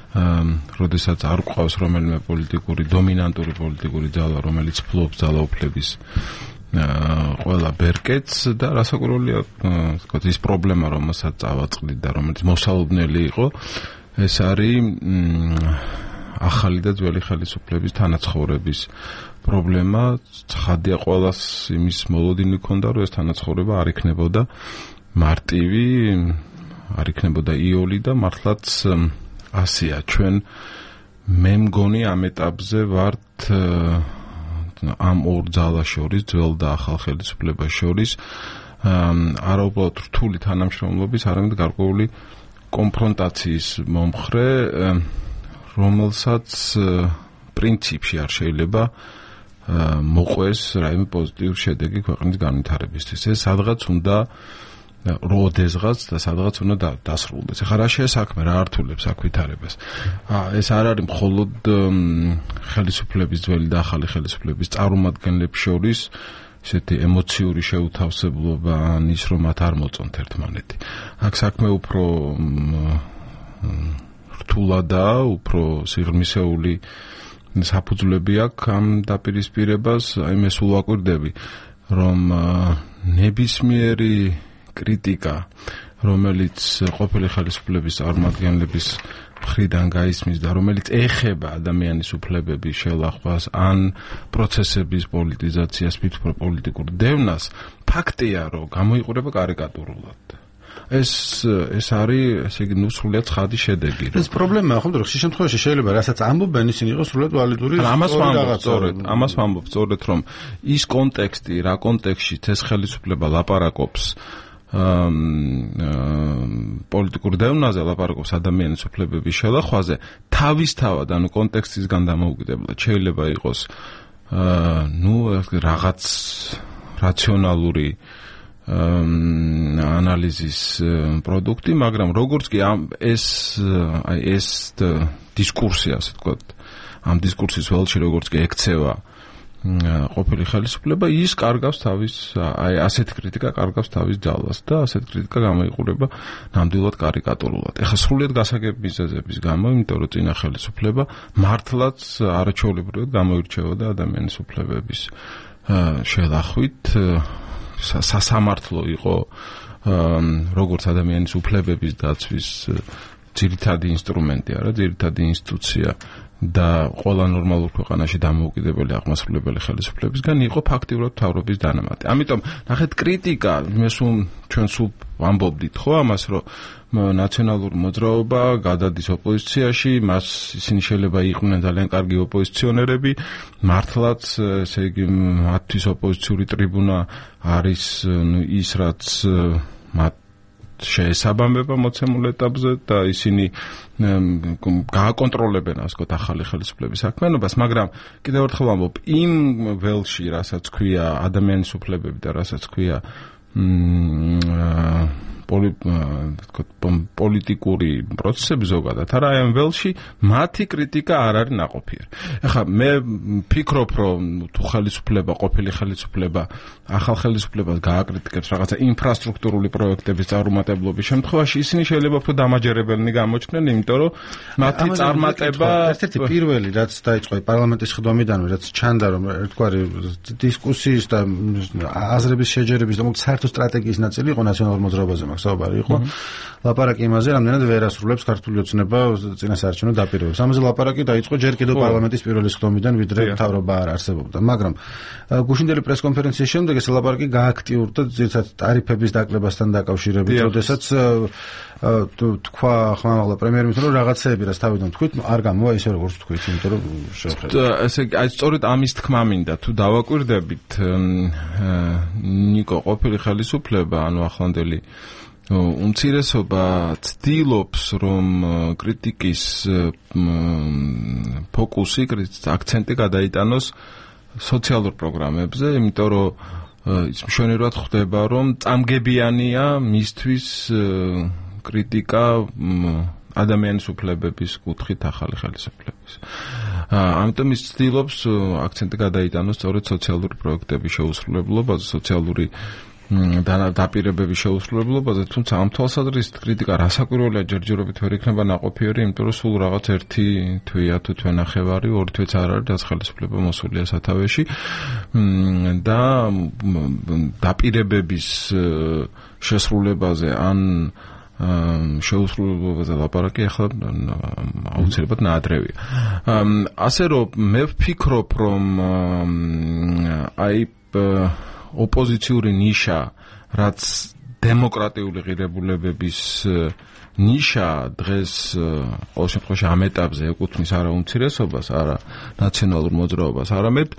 როდესაც არ გვყავს რომელიმე დომინანტური პოლიტიკური ძალა, რომელიც ფლობს ძალაუფლების ყველა ბერკეტს და რასაკვირველია, ის პრობლემა, რომელსაც წავაწყდით და რომელიც მოსალოდნელი იყო, ეს არის ახალი და ძველი ხელისუფლების თანაცხოვრების პრობლემა. ცხადია ყველას იმის მოლოდინი ჰქონდა, რომ ეს თანაცხოვრება არ იქნებოდა მარტივი, არ იქნებოდა იოლი და მართლაც ასია. ჩვენ მე მგონი ამ ეტაპზე ვართ ამ ორ ძალას შორის, ძველ და ახალ ხელისუფლებას შორის, არა უბრალოდ რთული თანამშრომლობის, არამედ გარკვეული კონფრონტაციის მომხრე, რომელსაც პრინციპში არ შეიძლება მოყვეს რაიმე პოზიტიური შედეგი ქვეყნის განვითარებისთვის. ეს სადღაც უნდა როდესღაც და სადღაც უნდა დასრულდეს. ეხლა რა შეესაქმე, რა ართულებს აქ ვითარებას? ეს არ არის მხოლოდ ხელისუფლების, ძველი და ახალი ხელისუფლების წარმომადგენლებს შორის ესეთი ემოციური შეუთავსებლობა, ან ის რომ მათ არ მოწონთ ერთმანეთი. აქ საქმე უფრო რთულადაა, უფრო სიღრმისეული საფუძვლები აქვს ამ დაპირისპირებას. აი მე სულ ვაკვირდები, რომ ნებისმიერი კრიტიკა, რომელიც ყოფილი ხელისუფლების წარმომადგენლების მხრიდან გაისმის და რომელიც ეხება ადამიანის უფლებების შელახვას ან პროცესების პოლიტიზაციას, მithumეტ პოლიტიკურ დევნას, ფაქტია, რომ გამოიყურება კარიკატურულად. ეს არის, ესე იგი, სრულიად ცხადი შედეგი. ეს პრობლემაა, ხო, ხშირ შემთხვევაში შეიძლება რასაც ამბობენ, ისინი იყოს სრულიად ვალიდური. ამას ვამბობ სწორედ, რომ ის კონტექსტი, რა კონტექსტშიც ეს ხელისუფლება ლაპარაკობს პოლიტიკურ დევნაზე, ლაპარაკობს ადამიანის უფლებების შელახვაზე, თავისთავად, ანუ კონტექსტისგან დამოუკიდებლად შეიძლება იყოს რაღაც რაციონალური ანალიზის პროდუქტი, მაგრამ როგორც კი ეს დისკურსი, ასე ვთქვათ, ამ დისკურსის ველში როგორც კი ექცევა ყოფილი ხელისუფლება, ის კარგავს თავის, ასეთი კრიტიკა კარგავს თავის ძალას და ასეთი კრიტიკა გამოიყურება ნამდვილად კარიკატურულად. ეხლა სრულიად გასაგები მიზეზების გამო, იმიტომ რომ წინა ხელისუფლება მართლაც არაჩვეულებრივად გამოირჩეოდა ადამიანის უფლებების შელახვით, სასამართლო იყო როგორც ადამიანის უფლებების დაცვის ძირითადი ინსტრუმენტი, არა, ძირითადი ინსტიტუცია და ყველა ნორმალურ ქვეყანაში დამოუკიდებელი აღმასრულებელი ხელისუფლებისგან იყო ფაქტიურად მთავრობის დანამატი. ამიტომ ნახეთ კრიტიკა, ჩვენ სულ ვამბობდით ხო ამას, რომ ნაციონალური მოძრაობა გადადის ოპოზიციაში, მას ისინი შეიძლება იყვნენ ძალიან კარგი ოპოზიციონერები, მართლაც, ესე იგი, მათთვის ოპოზიციური ტრიბუნა არის ის, რაც მათ შეესაბამება მოცემულ ეტაპზე და ისინი გააკონტროლებენ, ასე ვთქვათ, ახალი ხელისუფლების საქმიანობას, მაგრამ კიდევ ერთხელ ვამბობ, იმ ველში, რასაც ქვია ადამიანის უფლებები და რასაც ქვია პოლიტიკური პროცესები ზოგადად, არა, ამ ველში მათი კრიტიკა არ არის ნაყოფიერი. ეხლა მე ვფიქრობ, რომ თუ ხელისუფლება, ყოფილი ხელისუფლება, ახალ ხელისუფლებას გააკრიტიკებს რაღაცა ინფრასტრუქტურული პროექტების წარუმატებლობის შემთხვევაში, ისინი შეიძლება უფრო დამაჯერებელნი გამოჩნდნენ, იმიტომ რომ მათი წარმატება ერთ-ერთი პირველი, რაც დაიწყო პარლამენტის ხდომიდანვე, რაც ჩანდა, რომ ერთგვარი დისკუსიის და აზრების შეჯერების და საერთო სტრატეგიის ნაწილი იყო ნაციონალურ მოძრაობაზე. საუბარი იყო. ლაპარაკი იმაზე, რამდენად ვერ ასრულებს ქართული ოცნება წინასაარჩევნო დაპირებებს. ამაზე ლაპარაკი დაიწყო ჯერ კიდევ პარლამენტის პირველი სხდომიდან, ვიდრე მთავრობა არ არსებობდა. მაგრამ გუშინდელი პრესკონფერენციის შემდეგ ეს ლაპარაკი გააქტიურდა ძირითადად ტარიფების დაკლებასთან დაკავშირებით, როდესაც თქვა ხმამაღლა პრემიერ-მინისტრმა რომ რაღაცეები რაც თავიდან თქვით არ გამოვა ისე როგორც თქვით, იმიტომ რომ შეხედეთ. ესე აი სწორედ ამის თქმა მინდა თუ დავაკვირდებით ნიკო ყოფილი ხელისუფლება, ანუ ახლანდელი უმცირესობა ცდილობს რომ კრიტიკის ფოკუსი, აქცენტი გადაიტანოს სოციალურ პროგრამებზე, იმიტომ რომ ის მშვენივრად ხვდება რომ წამგებიანია მისთვის კრიტიკა ადამიანის უფლებების კუთხით ახალი ხელისუფლების. ამიტომ ის ცდილობს აქცენტი გადაიტანოს სწორედ სოციალური პროექტების შეუსრულებლობაზე, სოციალური დაპირებების შეუსრულებლობაზე, თუმცა ამ თვალსაზრისით კრიტიკა რასაკვირველია ჯერჯერობით ვერ იქნება ნაყოფიერი, იმიტომ რომ სულ რაღაც ერთი თვეა თუ თვენახევარი, ორი თვეც არ არის, რაც ხელისუფლება მოსულია სათავეში და დაპირებების შესრულებაზე ან შეუსრულებლობაზე ლაპარაკი ახლა აუცილებლად ნაადრევია. ასე რომ მე ვფიქრობ რომ აი ოპოზიციური ნიშა, რაც დემოკრატიული ღირებულებების ნიშა დღეს ყოველ შემთხვევაში ამ ეტაპზე ეკუთვნის არა უმცირესობას, არა ნაციონალურ მოძრაობას, არამედ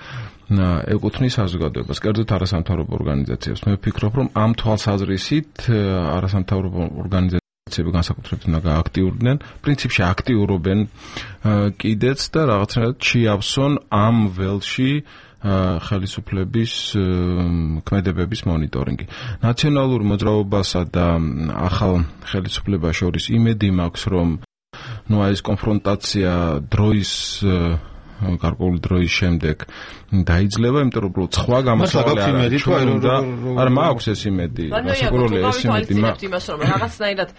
ეკუთვნის საზოგადოებას, კერძოდ არასამთავრობო ორგანიზაციებს. მე ვფიქრობ, რომ ამ თვალსაზრისით არასამთავრობო ორგანიზაციები განსაკუთრებით უნდა გააქტიურდნენ, პრინციპში აქტიურობენ კიდეც და რაღაცნაირად შეავსონ ამ ველში ხელისუფლების ქმედებების მონიტორინგი. ნაციონალურ მოძრაობასა და ახალ ხელისუფლებას შორის იმედი მაქვს, რომ ეს კონფრონტაცია დროის გარკვეული დროის შემდეგ დაიძლება, იმიტომ რომ სხვა გამოსავალი არ მაქვს ეს იმედი. საკუროლია ეს იმედი მაქვს იმას, რომ რაღაცნაირად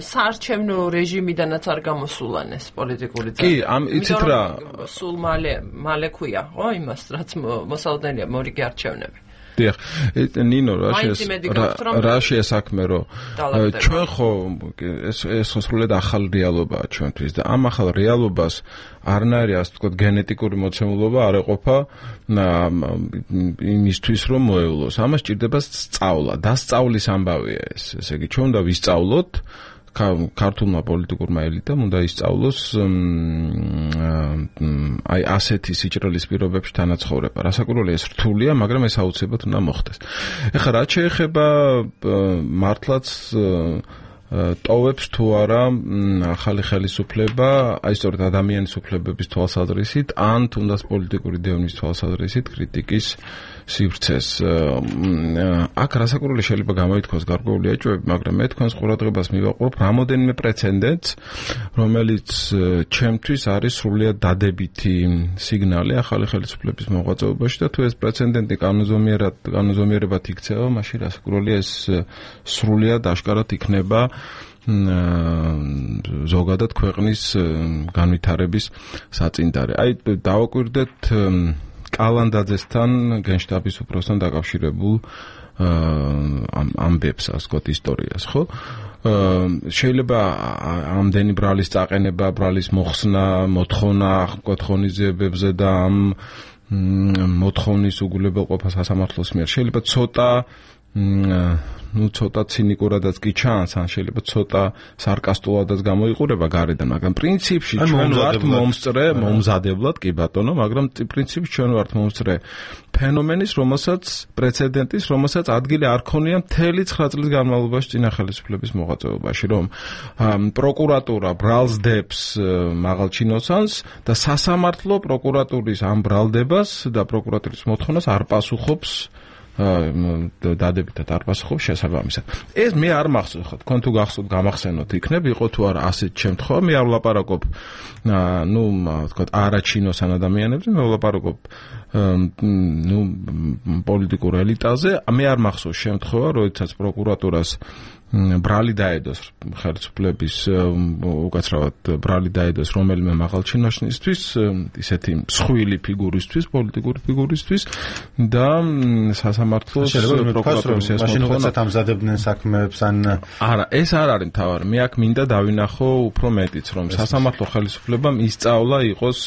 საარჩევნო რეჟიმიდანაც არ გამოსულან ეს პოლიტიკური კი, იცით რა, სულ მალე ქვია, ხო, იმას, რაც მოსალოდნელია მორიგი არჩევნები. დიახ, ნინო, რა შეასაქმე რომ ჩვენ ხო ეს სრულად ახალ რეალობაა ჩვენთვის და ამ ახალ რეალობას არნაირი ასე ვთქვათ გენეტიკური მოცემულობა არ ეყოფა იმისთვის რომ მოევლოს. ამას ჭირდება სწავლა, დასწავლის ამბავია ეს. ესე იგი, ჩვენ უნდა ვისწავლოთ ქართულმა პოლიტიკურმა ელიტამ უნდა ისწავლოს აი ასეთი სიჭრელის პირობებში თანაცხოვრება. რასაკვირველია ეს რთულია, მაგრამ ეს აუცილებლად უნდა მოხდეს. ეხლა რაც შეეხება მართლაც ტოვებს თუ არა ახალი ხელისუფლება, აი სწორედ ადამიანის უფლებების თვალსაზრისით, ან თუნდაც პოლიტიკური დევნის თვალსაზრისით კრიტიკის სივრცეს. აქ რასაკვირველი შეიძლება გამოითქვას გარკვეული ეჭვები, მაგრამ მე თქვენს ყურადღებას მივაყურებ რამოდენიმე პრეცედენტს, რომელიც ჩემთვის არის სრულიად დადებითი სიგნალი ახალი ხელისუფლების მოღვაწეობაში და თუ ეს პრეცედენტი კანონზომიერებად იქცევა, მაშინ რასაკვირველია ეს სრულიად აშკარად იქნება ზოგადად ქვეყნის განვითარების საწინდარი. აი დავაკვირდეთ კალანდაძესთან გენშტაბის უფროსთან დაკავშირებულ ამბებს, ასე ვთქვათ, ისტორიას, ხო? შეიძლება ამდენი ბრალის წაყენება, ბრალის მოხსნა, მოთხოვნა ვთქვათ ღონისძიებებზე და ამ მოთხოვნის უგულებელყოფა სასამართლოს მიერ შეიძლება ცოტა ცინიკურადაც კი ჩანს, ან შეიძლება ცოტა სარკასტულადაც გამოიყურება გარედან, მაგრამ პრინციპში ჩვენ ვართ მომზადებლად, კი ბატონო, მაგრამ პრინციპში ჩვენ ვართ მომსწრე ფენომენის, პრეცედენტის, რომელსაც ადგილი არ ქონია მთელი 9 წლის განმავლობაში წინა ხელისუფლების მოღვაწეობაში, რომ პროკურატურა ბრალს დებს მაღალ ჩინოსანს და სასამართლო პროკურატურის ამ ბრალდებას და პროკურატურის მოთხოვნას არ პასუხობს დადებითად არ პასუხობს შესაბამისად. ეს მე არ მახსოვს, ხო, თქვენ თუ გახსოვთ, გამახსენოთ იქნებ, იყო თუ არა ასეთ შემთხვევა, მე არ ვლაპარაკობ, ვთქვათ, არაჩინოსან ადამიანებზე, მე ვლაპარაკობ, პოლიტიკურ ელიტაზე, მე არ მახსოვს შემთხვევა, როდესაც პროკურატურას ბრალი დაედოს ხელისუფლების უკაცრავად ბრალი დაედოს რომელიმე მაღალჩინოსნისთვის, ისეთი მსხვილი ფიგურისთვის, პოლიტიკური ფიგურისთვის და სასამართლოს პროკურატურის მაშინ უცებ ამზადებდნენ საქმეებს ან არა, ეს არ არის მთავარი. მე აქ მინდა დავინახო უფრო მეტიც, რომ სასამართლო ხელისუფლებამ ისწავლა იყოს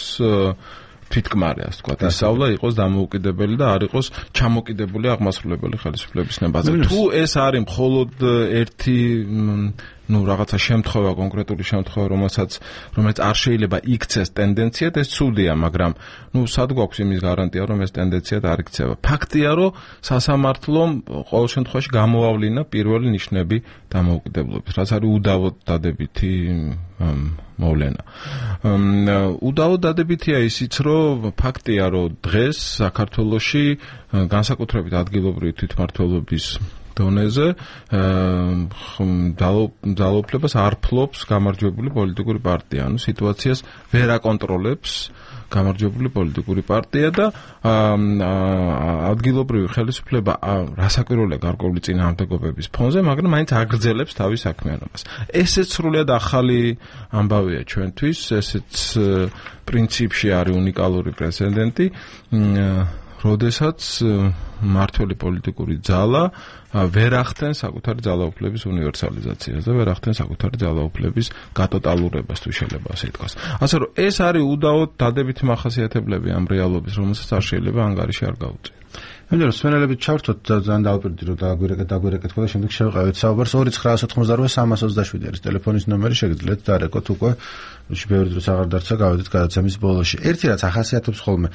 თვითკმარი, ასე ვთქვათ, ისწავლა იყოს დამოუკიდებელი და არ იყოს ჩამოკიდებული აღმასრულებელი ხელისუფლების ნებაზე. თუ ეს არის მხოლოდ ერთი რაღაცა შემთხვევა, კონკრეტული შემთხვევა, რომელიც არ შეიძლება იქცეს ტენდენციად, ეს ცუდია, მაგრამ სად გვაქვს იმის გარანტია, რომ ეს ტენდენციად არ იქცევა. ფაქტია, რომ სასამართლომ ყოველ შემთხვევაში გამოავლინა პირველი ნიშნები დამოუკიდებლობის, რაც არის უდავოდ დადებითი მოვლენა. უდავოდ დადებითია ისიც, რომ ფაქტია, რომ დღეს საქართველოში განსაკუთრებით ადგილობრივი თვითმმართველობის დონეზე ძალაუფლებას არ ფლობს გამარჯვებული პოლიტიკური პარტია. ანუ სიტუაციას ვერ აკონტროლებს გამარჯვებული პოლიტიკური პარტია და ადგილობრივი ხელისუფლება რასაკვირველია გარკვეული წინააღმდეგობების ფონზე, მაგრამ მაინც აგრძელებს თავის საქმიანობას. ესეც სრულიად ახალი ამბავია ჩვენთვის, ესეც პრინციპში არის უნიკალური პრეცედენტი, როდესაც მართველი პოლიტიკური ძალა ვერ ახდენს საკუთარი ძალაუფლების უნივერსალიზაციას და ვერ ახდენს საკუთარი ძალაუფლების გატოტალურებას, თუ შეიძლება ასე ითქვას. ასე რომ ეს არის უდავოდ დადებითი მახასიათებლები ამ რეალობის, რომელსაც არ შეიძლება ანგარიში არ გაუწიო. მე რომ სვენელებით ჩავრთოთ ძალიან დავპირდი რომ დაგვირეკეთ და შემდეგ შევყავით საუბარს 2988-327 არის ტელეფონის ნომერი, შეგიძლიათ დარეკოთ უკვე ბევრი დროს აღარ დარჩა გავედით გადაცემის ბოლოში. ერთი რაც ახასიათებს ხოლმე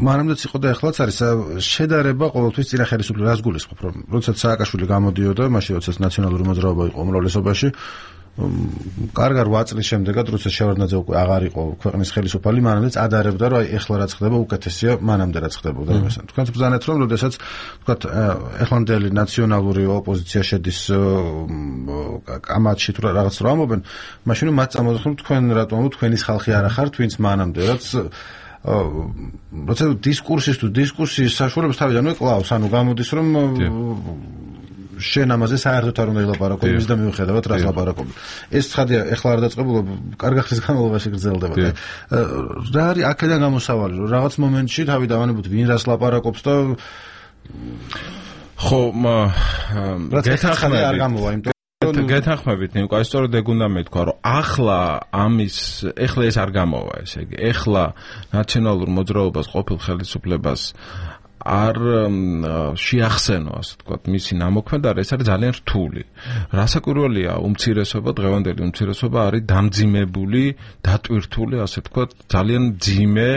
მანამდეც იყო და ახლაც არის შედარება ყოველთვის წინა ხელისუფლებას გულისხმობ, რომ როდესაც სააკაშვილი გამოდიოდა, მაშინ როდესაც ნაციონალური მოძრაობა იყო უმრავლესობაში, კარგად 8 წლის შემდეგაც როდესაც შევარდნაძე უკვე აღარ იყო ქვეყნის ხელისუფალი, მანამდეც ადარებდა, რომ ეხლა რაც ხდება უკეთესია მანამდე რაც ხდებოდა იმასთან. თქვენც ბრძანეთ, რომ როდესაც თქვათ ეხლანდელი ნაციონალური ოპოზიცია შედის კამათში თუ რაღაც რა ამობენ, მაშინ მათ წამოძახουν თქვენ რატომ თქვენის ხალხი არ ახართ, ვინც მანამდე რაც როცა დისკურსის საშუალებას თავიდანვე კლავს, ანუ გამოდის რომ შენ ამაზე საერთოდ არ უნდა ილაპარაკო იმის და მიუხედავად რას ლაპარაკობ. ეს ცხადია, ეხლა არ დაწყებულა, კარგი ხნის განმავლობაში გრძელდება. რა არის აქედან გამოსავალი, რომ რაღაც მომენტში თავიდანვე ვინ რას ლაპარაკობს და ხო, გეთანხმებით, ნიკო, სწორედ ეგ უნდა მეთქვა, რომ ახლა ეს არ გამოვა, ესე იგი, ახლა ნაციონალურ მოძრაობას ყოფილ ხელისუფლებას არ შეახსენო, ასე ვთქვათ, მისი ნამოქმედა, ეს არის ძალიან რთული. რასაკვირველია, უმცირესობა, დღევანდელი უმცირესობა არის დამძიმებული, დატვირთული, ასე ვთქვათ, ძალიან ძიმე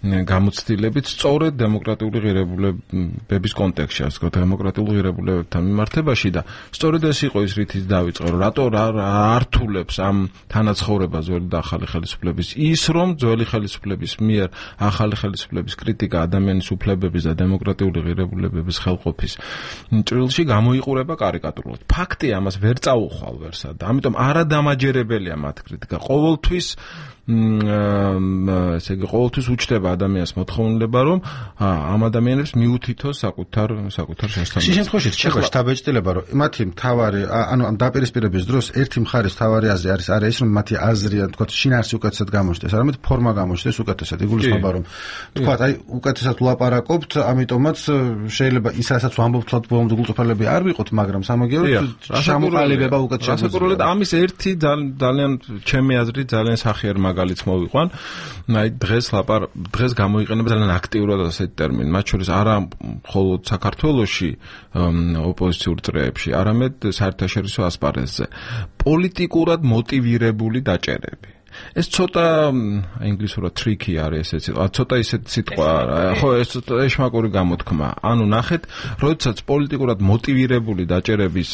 გამოცდილებით სწორედ დემოკრატიული ღირებულებების კონტექსტში, ასე ვთქვათ, დემოკრატიულ ღირებულებებთან მიმართებაში და სწორედ ეს იყო ის რითიც დავიწყე, რომ რატო ართულებს ამ თანაცხოვრებას ძველი და ახალი ხელისუფლების ის, რომ ძველი ხელისუფლების მიერ ახალი ხელისუფლების კრიტიკა ადამიანის უფლებების და დემოკრატიული ღირებულებების ხელყოფის ჭრილში გამოიყურება კარიკატურულად. ფაქტია, ამას ვერ წაუხვალ ვერსად. ამიტომ არადამაჯერებელია მათ კრიტიკა. ყოველთვის ესე იგი ყოველთვის უჩნდება ადამიანს მოთხოვნილება, რომ ამ ადამიანებს მიუთითოს საკუთარ შესაბამისად. შემთხვევაში რჩება შთაბეჭდილება, რომ მათი მთავარი, ანუ ამ დაპირისპირების დროს ერთი მხარის მთავარი აზრი არის არა ის, რომ მათი აზრი, თქვათ, შინაარსი უკეთესად გამოჩნდეს, არამედ ფორმა გამოჩნდეს უკეთესად. იგულისხმება, რომ თქვათ, აი უკეთესად ვლაპარაკობთ, ამიტომაც შეიძლება ის რასაც ვამბობთ, თვალთ ბოლომდე გულწრფელები არ ვიყოთ, მაგრამ სამაგიეროდ ჩამოყალიბება უკეთესად. რასაკვირველია, ამის ერთი ძალიან ჩემი აზრით ძალიან სახიერ მაგალითს მოვიყვან. აი დღეს გამოიყენება ძალიან აქტიურად ასეთი ტერმინი, მათ შორის არა მხოლოდ საქართველოში ოპოზიციურ წრეებში, არამედ საერთაშორისო ასპარეზზე. პოლიტიკურად მოტივირებული დაჭერები. ეს ცოტა ინგლისურად tricky არის ესეც. ცოტა ისეთი სიტყვა, ხო, ეს ეშმაკური გამოთქმა. ანუ ნახეთ, როდესაც პოლიტიკურად მოტივირებული დაჭერების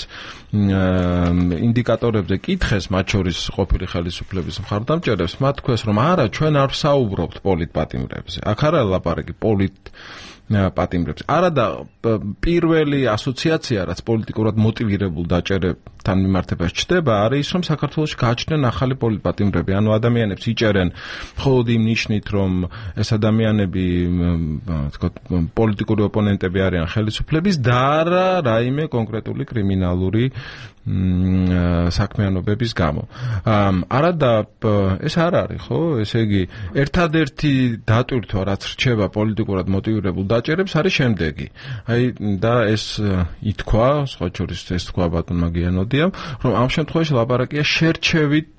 ინდიკატორებზე კითხეს, მათ შორის ყოფილი ხელისუფლების მხარდამჭერებს, მათ თქვეს, რომ არა, ჩვენ არ ვსაუბრობთ პოლიტპატიმრებზე. აქ არა ლაპარაკი პატიმრებს. არა და პირველი ასოციაცია, რაც პოლიტიკურად მოტივირებულ დაჭერებთან მიმართებას ჩდება, არის ის, რომ საქართველოში გააჩნდნენ ახალი პოლიტპატიმრები. ანუ ანუ ადამიანებს იჭერენ მხოლოდ იმ ნიშნით, რომ ეს ადამიანები თქვათ პოლიტიკური ოპონენტები არიან ხელისუფლების და არა რაიმე კონკრეტული კრიმინალური საქმიანობების გამო. არადა ეს არ არის, ხო? ესე იგი, ერთადერთი დატვირთვა, რაც რჩება პოლიტიკურად მოტივირებულ დაჭერებს, არის შემდეგი. აი და ეს ითქვა, სხვა შორის ეს თქვა ბატონმა გიანოდიამ, რომ ამ შემთხვევაში ლაპარაკია შერჩევით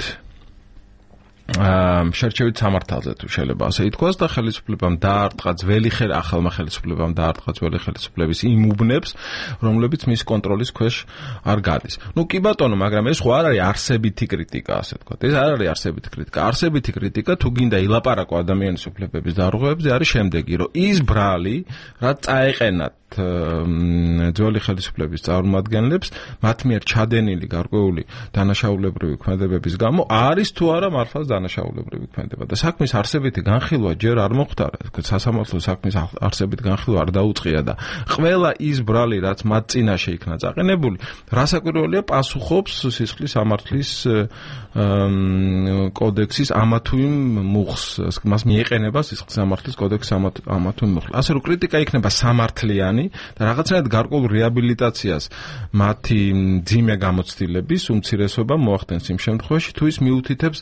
სამართალზე თუ შეიძლება ასე ითქვას და ხელისუფლებამ დაარტყა ახალმა ხელისუფლებამ დაარტყა ძველი ხელისუფლების იმ უბნებს, რომლებიც მის კონტროლის ქვეშ არ გადის. ნუ კი ბატონო, მაგრამ ეს ხო არ არის არსებითი კრიტიკა, ასე ვთქვათ. ეს არ არის არსებითი კრიტიკა. არსებითი კრიტიკა თუ გინდა ილაპარაკო ადამიანის უფლებების დარღვევებზე არის შემდეგი, რომ ის ბრალი, რაც წაეყენათ ძველი ხელისუფლების წარმომადგენლებს, მათ მიერ ჩადენილი გარკვეული დანაშაულებრივი ქმედებების გამო არის თუ არა მართლაც დანაშაულებრივი ქმედება და საქმის არსებითი განხილვა ჯერ არ მოხდარა, სასამართლო საქმის არსებითი განხილვა არ დაუწყია და ყველა ის ბრალი, რაც მათ წინაშე იქნა წაყენებული, რასაკვირველია პასუხობს სისხლის სამართლის კოდექსის ამა თუ იმ მუხს, მას მიეყენება სისხლის სამართლის კოდექსის ამა თუ იმ მუხს. ასე რომ კრიტიკა იქნება სამართლიანი და რაღაცნაირად გარკვეულ რეაბილიტაციას მათი ძიმე გამოცდილების უმცირესობა მოახდენს იმ შემთხვევაში, თუ ის მიუთითებს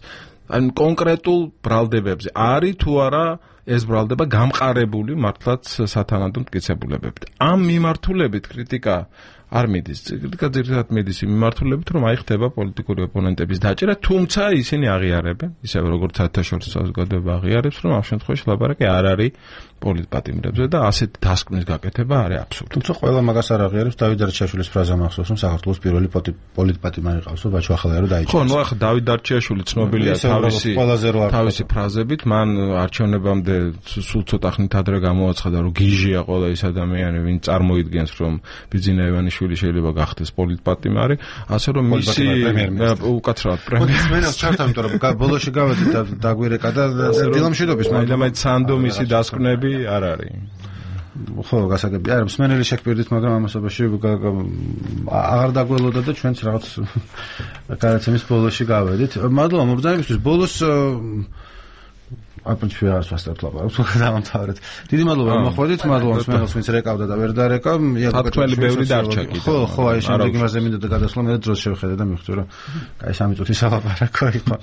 კონკრეტულ ბრალდებებზე. არის თუ არა ეს ბრალდება გამყარებული მართლაც სათანადო მტკიცებულებებით. ამ მიმართულებით კრიტიკა არ მიდის. კრიტიკა ძირითადად მიდის იმ მიმართულებით, რომ აი ხდება პოლიტიკური ოპონენტების დაჭერა, თუმცა ისინი აღიარებენ, ისე როგორც საერთაშორისო საზოგადოება აღიარებს, რომ ამ შემთხვევაში ლაპარაკი არ არის პოლიტპატიმრებზე და ასეთ დასკვნის გაკეთება არის აბსურდი. თუმცა ყველა მაგას არ აღიარებს. დავით დარჩიაშვილის ფრაზა მახსოვს, რომ საქართველოს პირველი პოლიტპატიმარი ყავს, ბაჩო ახალაერო დაიჭერა. ხო, ნუ ახლა დავით დარჩიაშვილი ცნობილია თავისი ფრაზებით, მან არჩევნებამდე სულ ცოტა ხნით ადრე გამოაცხადა, რომ გიჟია ყველა ის ადამიანი, ვინც წარმოიდგენს, რომ ბიძინა ივანიშვილი შეიძლება გახდეს პოლიტპატიმარი, ასე რომ მისი უკაცრავად პრემიერ-მინისტრი ჩართა, იმიტომ რომ ბოლოში გავედით და დაგვირეკა და დილამშვიდობის მაგრამ სანდო მისი დასკვნები არ არის. ხო, გასაგებია. არა, მსმენელი შეგვირდით, მაგრამ ამასობაში აღარ დაგველოდა და ჩვენც რაღაც გადაცემის ბოლოში გავედით. მადლობა მობრძანებისთვის. ბოლოს აპრინციპი არ ვასწავლებ ლაპარაკს, დავამთავრეთ. დიდი მადლობა მოხვედით, მადლობა მსმენელს, ვინც რეკავდა და ვერ დარეკა. ათქველი ბევრი დარჩა კიდე. ხო, აი შემდეგ იმაზე მინდოდა გადასვლა, მე დროს შევხედე და მივხვდი, რომ აი 3 წუთი სალაპარაკო იყო.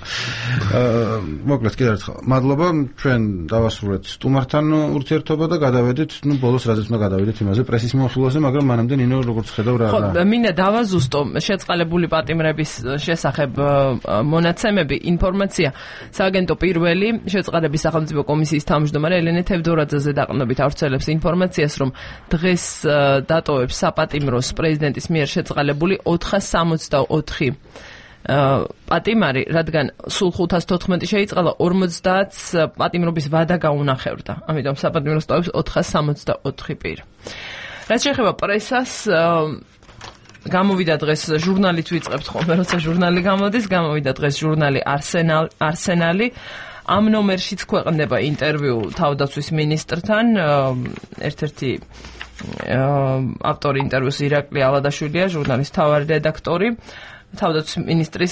მოკლედ კიდევ ერთხელ მადლობა, ჩვენ დავასრულეთ სტუმართან ურთიერთობა და გადავედით, ბოლოს რაზეც უნდა გადავედით იმაზე პრესის მიმოხილვაზე, მაგრამ მანამდე ნინო როგორც ხედავ რა. ხო, მინდა დავაზუსტო შეწყალებული პატიმრების შესახებ მონაცემები, ინფორმაცია. სააგენტო პირველი შეწყალების სახელმწიფო კომისიის თავმჯდომარე ელენე თევდორაძეზე დაყრდნობით ავრცელებს ინფორმაციას, რომ დღეს დატოვებს საპატიმროს პრეზიდენტის მიერ შეწყალებული 464 პატიმარი, რადგან სულ 514 შეიწყალა, 50-ს პატიმრობის ვადა გაუნახევრდა. ამიტომ საპატიმროს ტოვებს 464 პირი. რაც შეეხება პრესას, გამოვიდა დღეს ჟურნალით ვიწყებთ ხოლმე, როცა ჟურნალი გამოდის, გამოვიდა დღეს ჟურნალი არსენალი. ამ ნომერშიც ქვეყნდება ინტერვიუ თავდაცვის ministrთან, ერთ-ერთი ავტორი ინტერვიუს ირაკლი ალადაშვილია, ჟურნალის მთავარი რედაქტორი. თავდაცვის ministris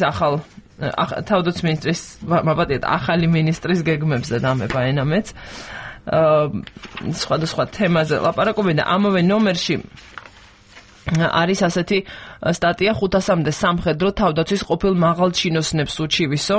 ახალი ministris გეგმებზე დამება ენამეც. სხვადასხვა თემაზე ლაპარაკობენ და ამავე ნომერში არის ასეთი სტატია 500-მდე სამხედრო თავდაცვის ყოფილ მაღალჩინოსნებს უჩივისო.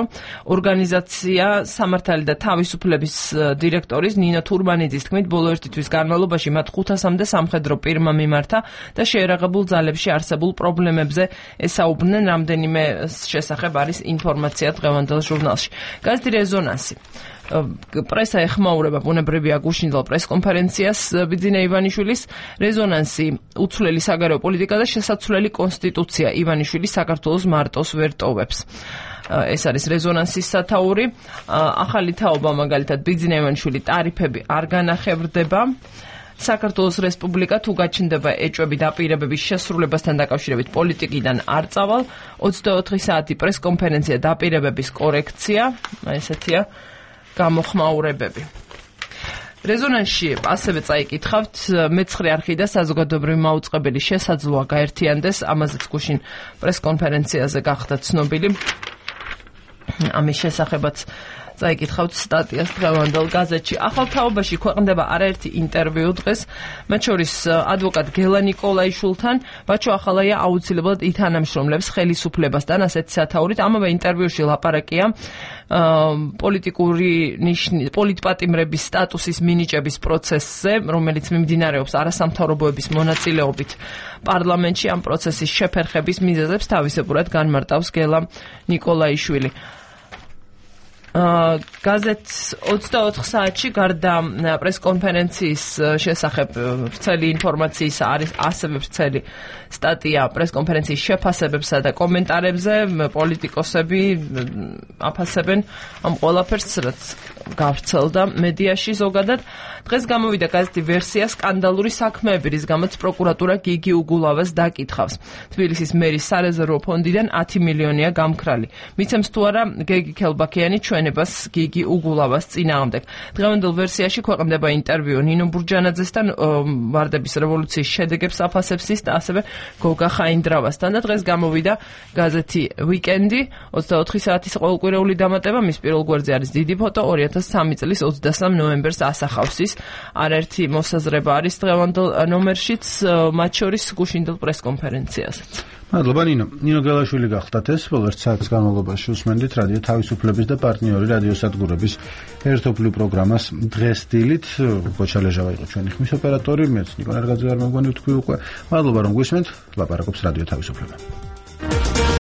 ორგანიზაცია სამართალი და თავისუფლების დირექტორის ნინო თურმანიძის თქმით, ბოლო ერთი თვის განმავლობაში მათ 500-მდე სამხედრო პირმა მიმართა და შეერაღებულ ძალებში არსებულ პრობლემებზე ესაუბრნენ. რამდენიმე შესახებ არის ინფორმაცია დღევანდელ ჟურნალში. გაზეთი რეზონანსი პრესა ეხმაურება ბუნებრივია გუშინდელ პრესკონფერენციას ბიძინა ივანიშვილის. რეზონანსი უცვლელი საგარეო პოლიტიკა და შესაცვლელი კონსტიტუცია ივანიშვილის საქართველოს მარტოს ვერ ტოვებს. ეს არის რეზონანსის სათაური. ახალი თაობა მაგალითად ბიძინა ივანიშვილი ტარიფები არ განახევრდება. საქართველოს რესპუბლიკა თუ გაჩნდება ეჭვები დაპირებების შესრულებასთან დაკავშირებით პოლიტიკიდან არ წავალ. 24 საათი პრესკონფერენცია დაპირებების კორექცია, ესეთია გამოხმაურებები. რეზონანსში ასევე წაიკითხავთ მეცხრე არხი და საზოგადოებრივი მაუწყებელი შესაძლოა გაერთიანდეს, ამაზეც გუშინ პრესკონფერენციაზე გახდა ცნობილი. ამის შესახებაც წაიკითხავთ სტატიას დღევანდელ გაზეთში. ახალ თაობაში ქვეყნდება არაერთი ინტერვიუ დღეს, მათ შორის ადვოკატ გელა ნიკოლაიშვილთან, ბაჩო ახალაია აუცილებლად ითანამშრომლებს ხელისუფლებასთან, ასეთი სათაურით. ამავე ინტერვიუში ლაპარაკია პოლიტპატიმრების სტატუსის მინიჭების პროცესზე, რომელიც მიმდინარეობს არასამთავრობოების მონაწილეობით პარლამენტში. ამ პროცესის შეფერხების მიზეზებს თავისებურად განმარტავს გელა ნიკოლაიშვილი. გაზეთს 24 საათში გარდა პრესკონფერენციის შესახებ ვრცელი ინფორმაციის არის ასევე ვრცელი სტატია პრესკონფერენციის შეფასებებსა და კომენტარებზე. პოლიტიკოსები აფასებენ ამ ყველაფერს, რაც გავრცელდა მედიაში ზოგადად. დღეს გამოვიდა გაზეთი ვერსია სკანდალური საქმეები, რის გამოც პროკურატურა გიგი უგულავას დაკითხავს. თბილისის მერის სარეზერვო ფონდიდან 10 მილიონია გამქრალი. მიცემს თუ არა გეგი ქელბაქიანი ჩვენებას გიგი უგულავას წინააღმდეგ. დღევანდელ ვერსიაში ქვეყნდება ინტერვიუ ნინო ბურჯანაძესთან, ვარდების რევოლუციის შედეგებს აფასებს ის და ასევე გოგა ხაინდრავასთან. და დღეს გამოვიდა გაზეთი ვიკენდი, 24 საათის ყოველკვირეული დამატება, მის პირველ გვერდზე არის დიდი ფოტო, 2003 წლის 23 ნოემბერს ასახავს ის. არაერთი მოსაზრება არის დღევანდელ ნომერშიც, მათ შორის გუშინდელ პრესკონფერენციასაც. მადლობა ნინო გელაშვილი გახდათ ეს ბოლო საათის განმავლობაში უსმენდით რადიო თავისუფლების და პარტნიორი რადიოსადგურების ერთობლივ პროგრამას დღეს დილით. გოჩა ლეჟავა იყო ჩვენი ხმის ოპერატორი, მეც ნიკო ნერგაძე არ მოგონი თქვი უკვე. მადლობა რომ გვისმენთ, ლაპარაკობს რადიო თავისუფლება.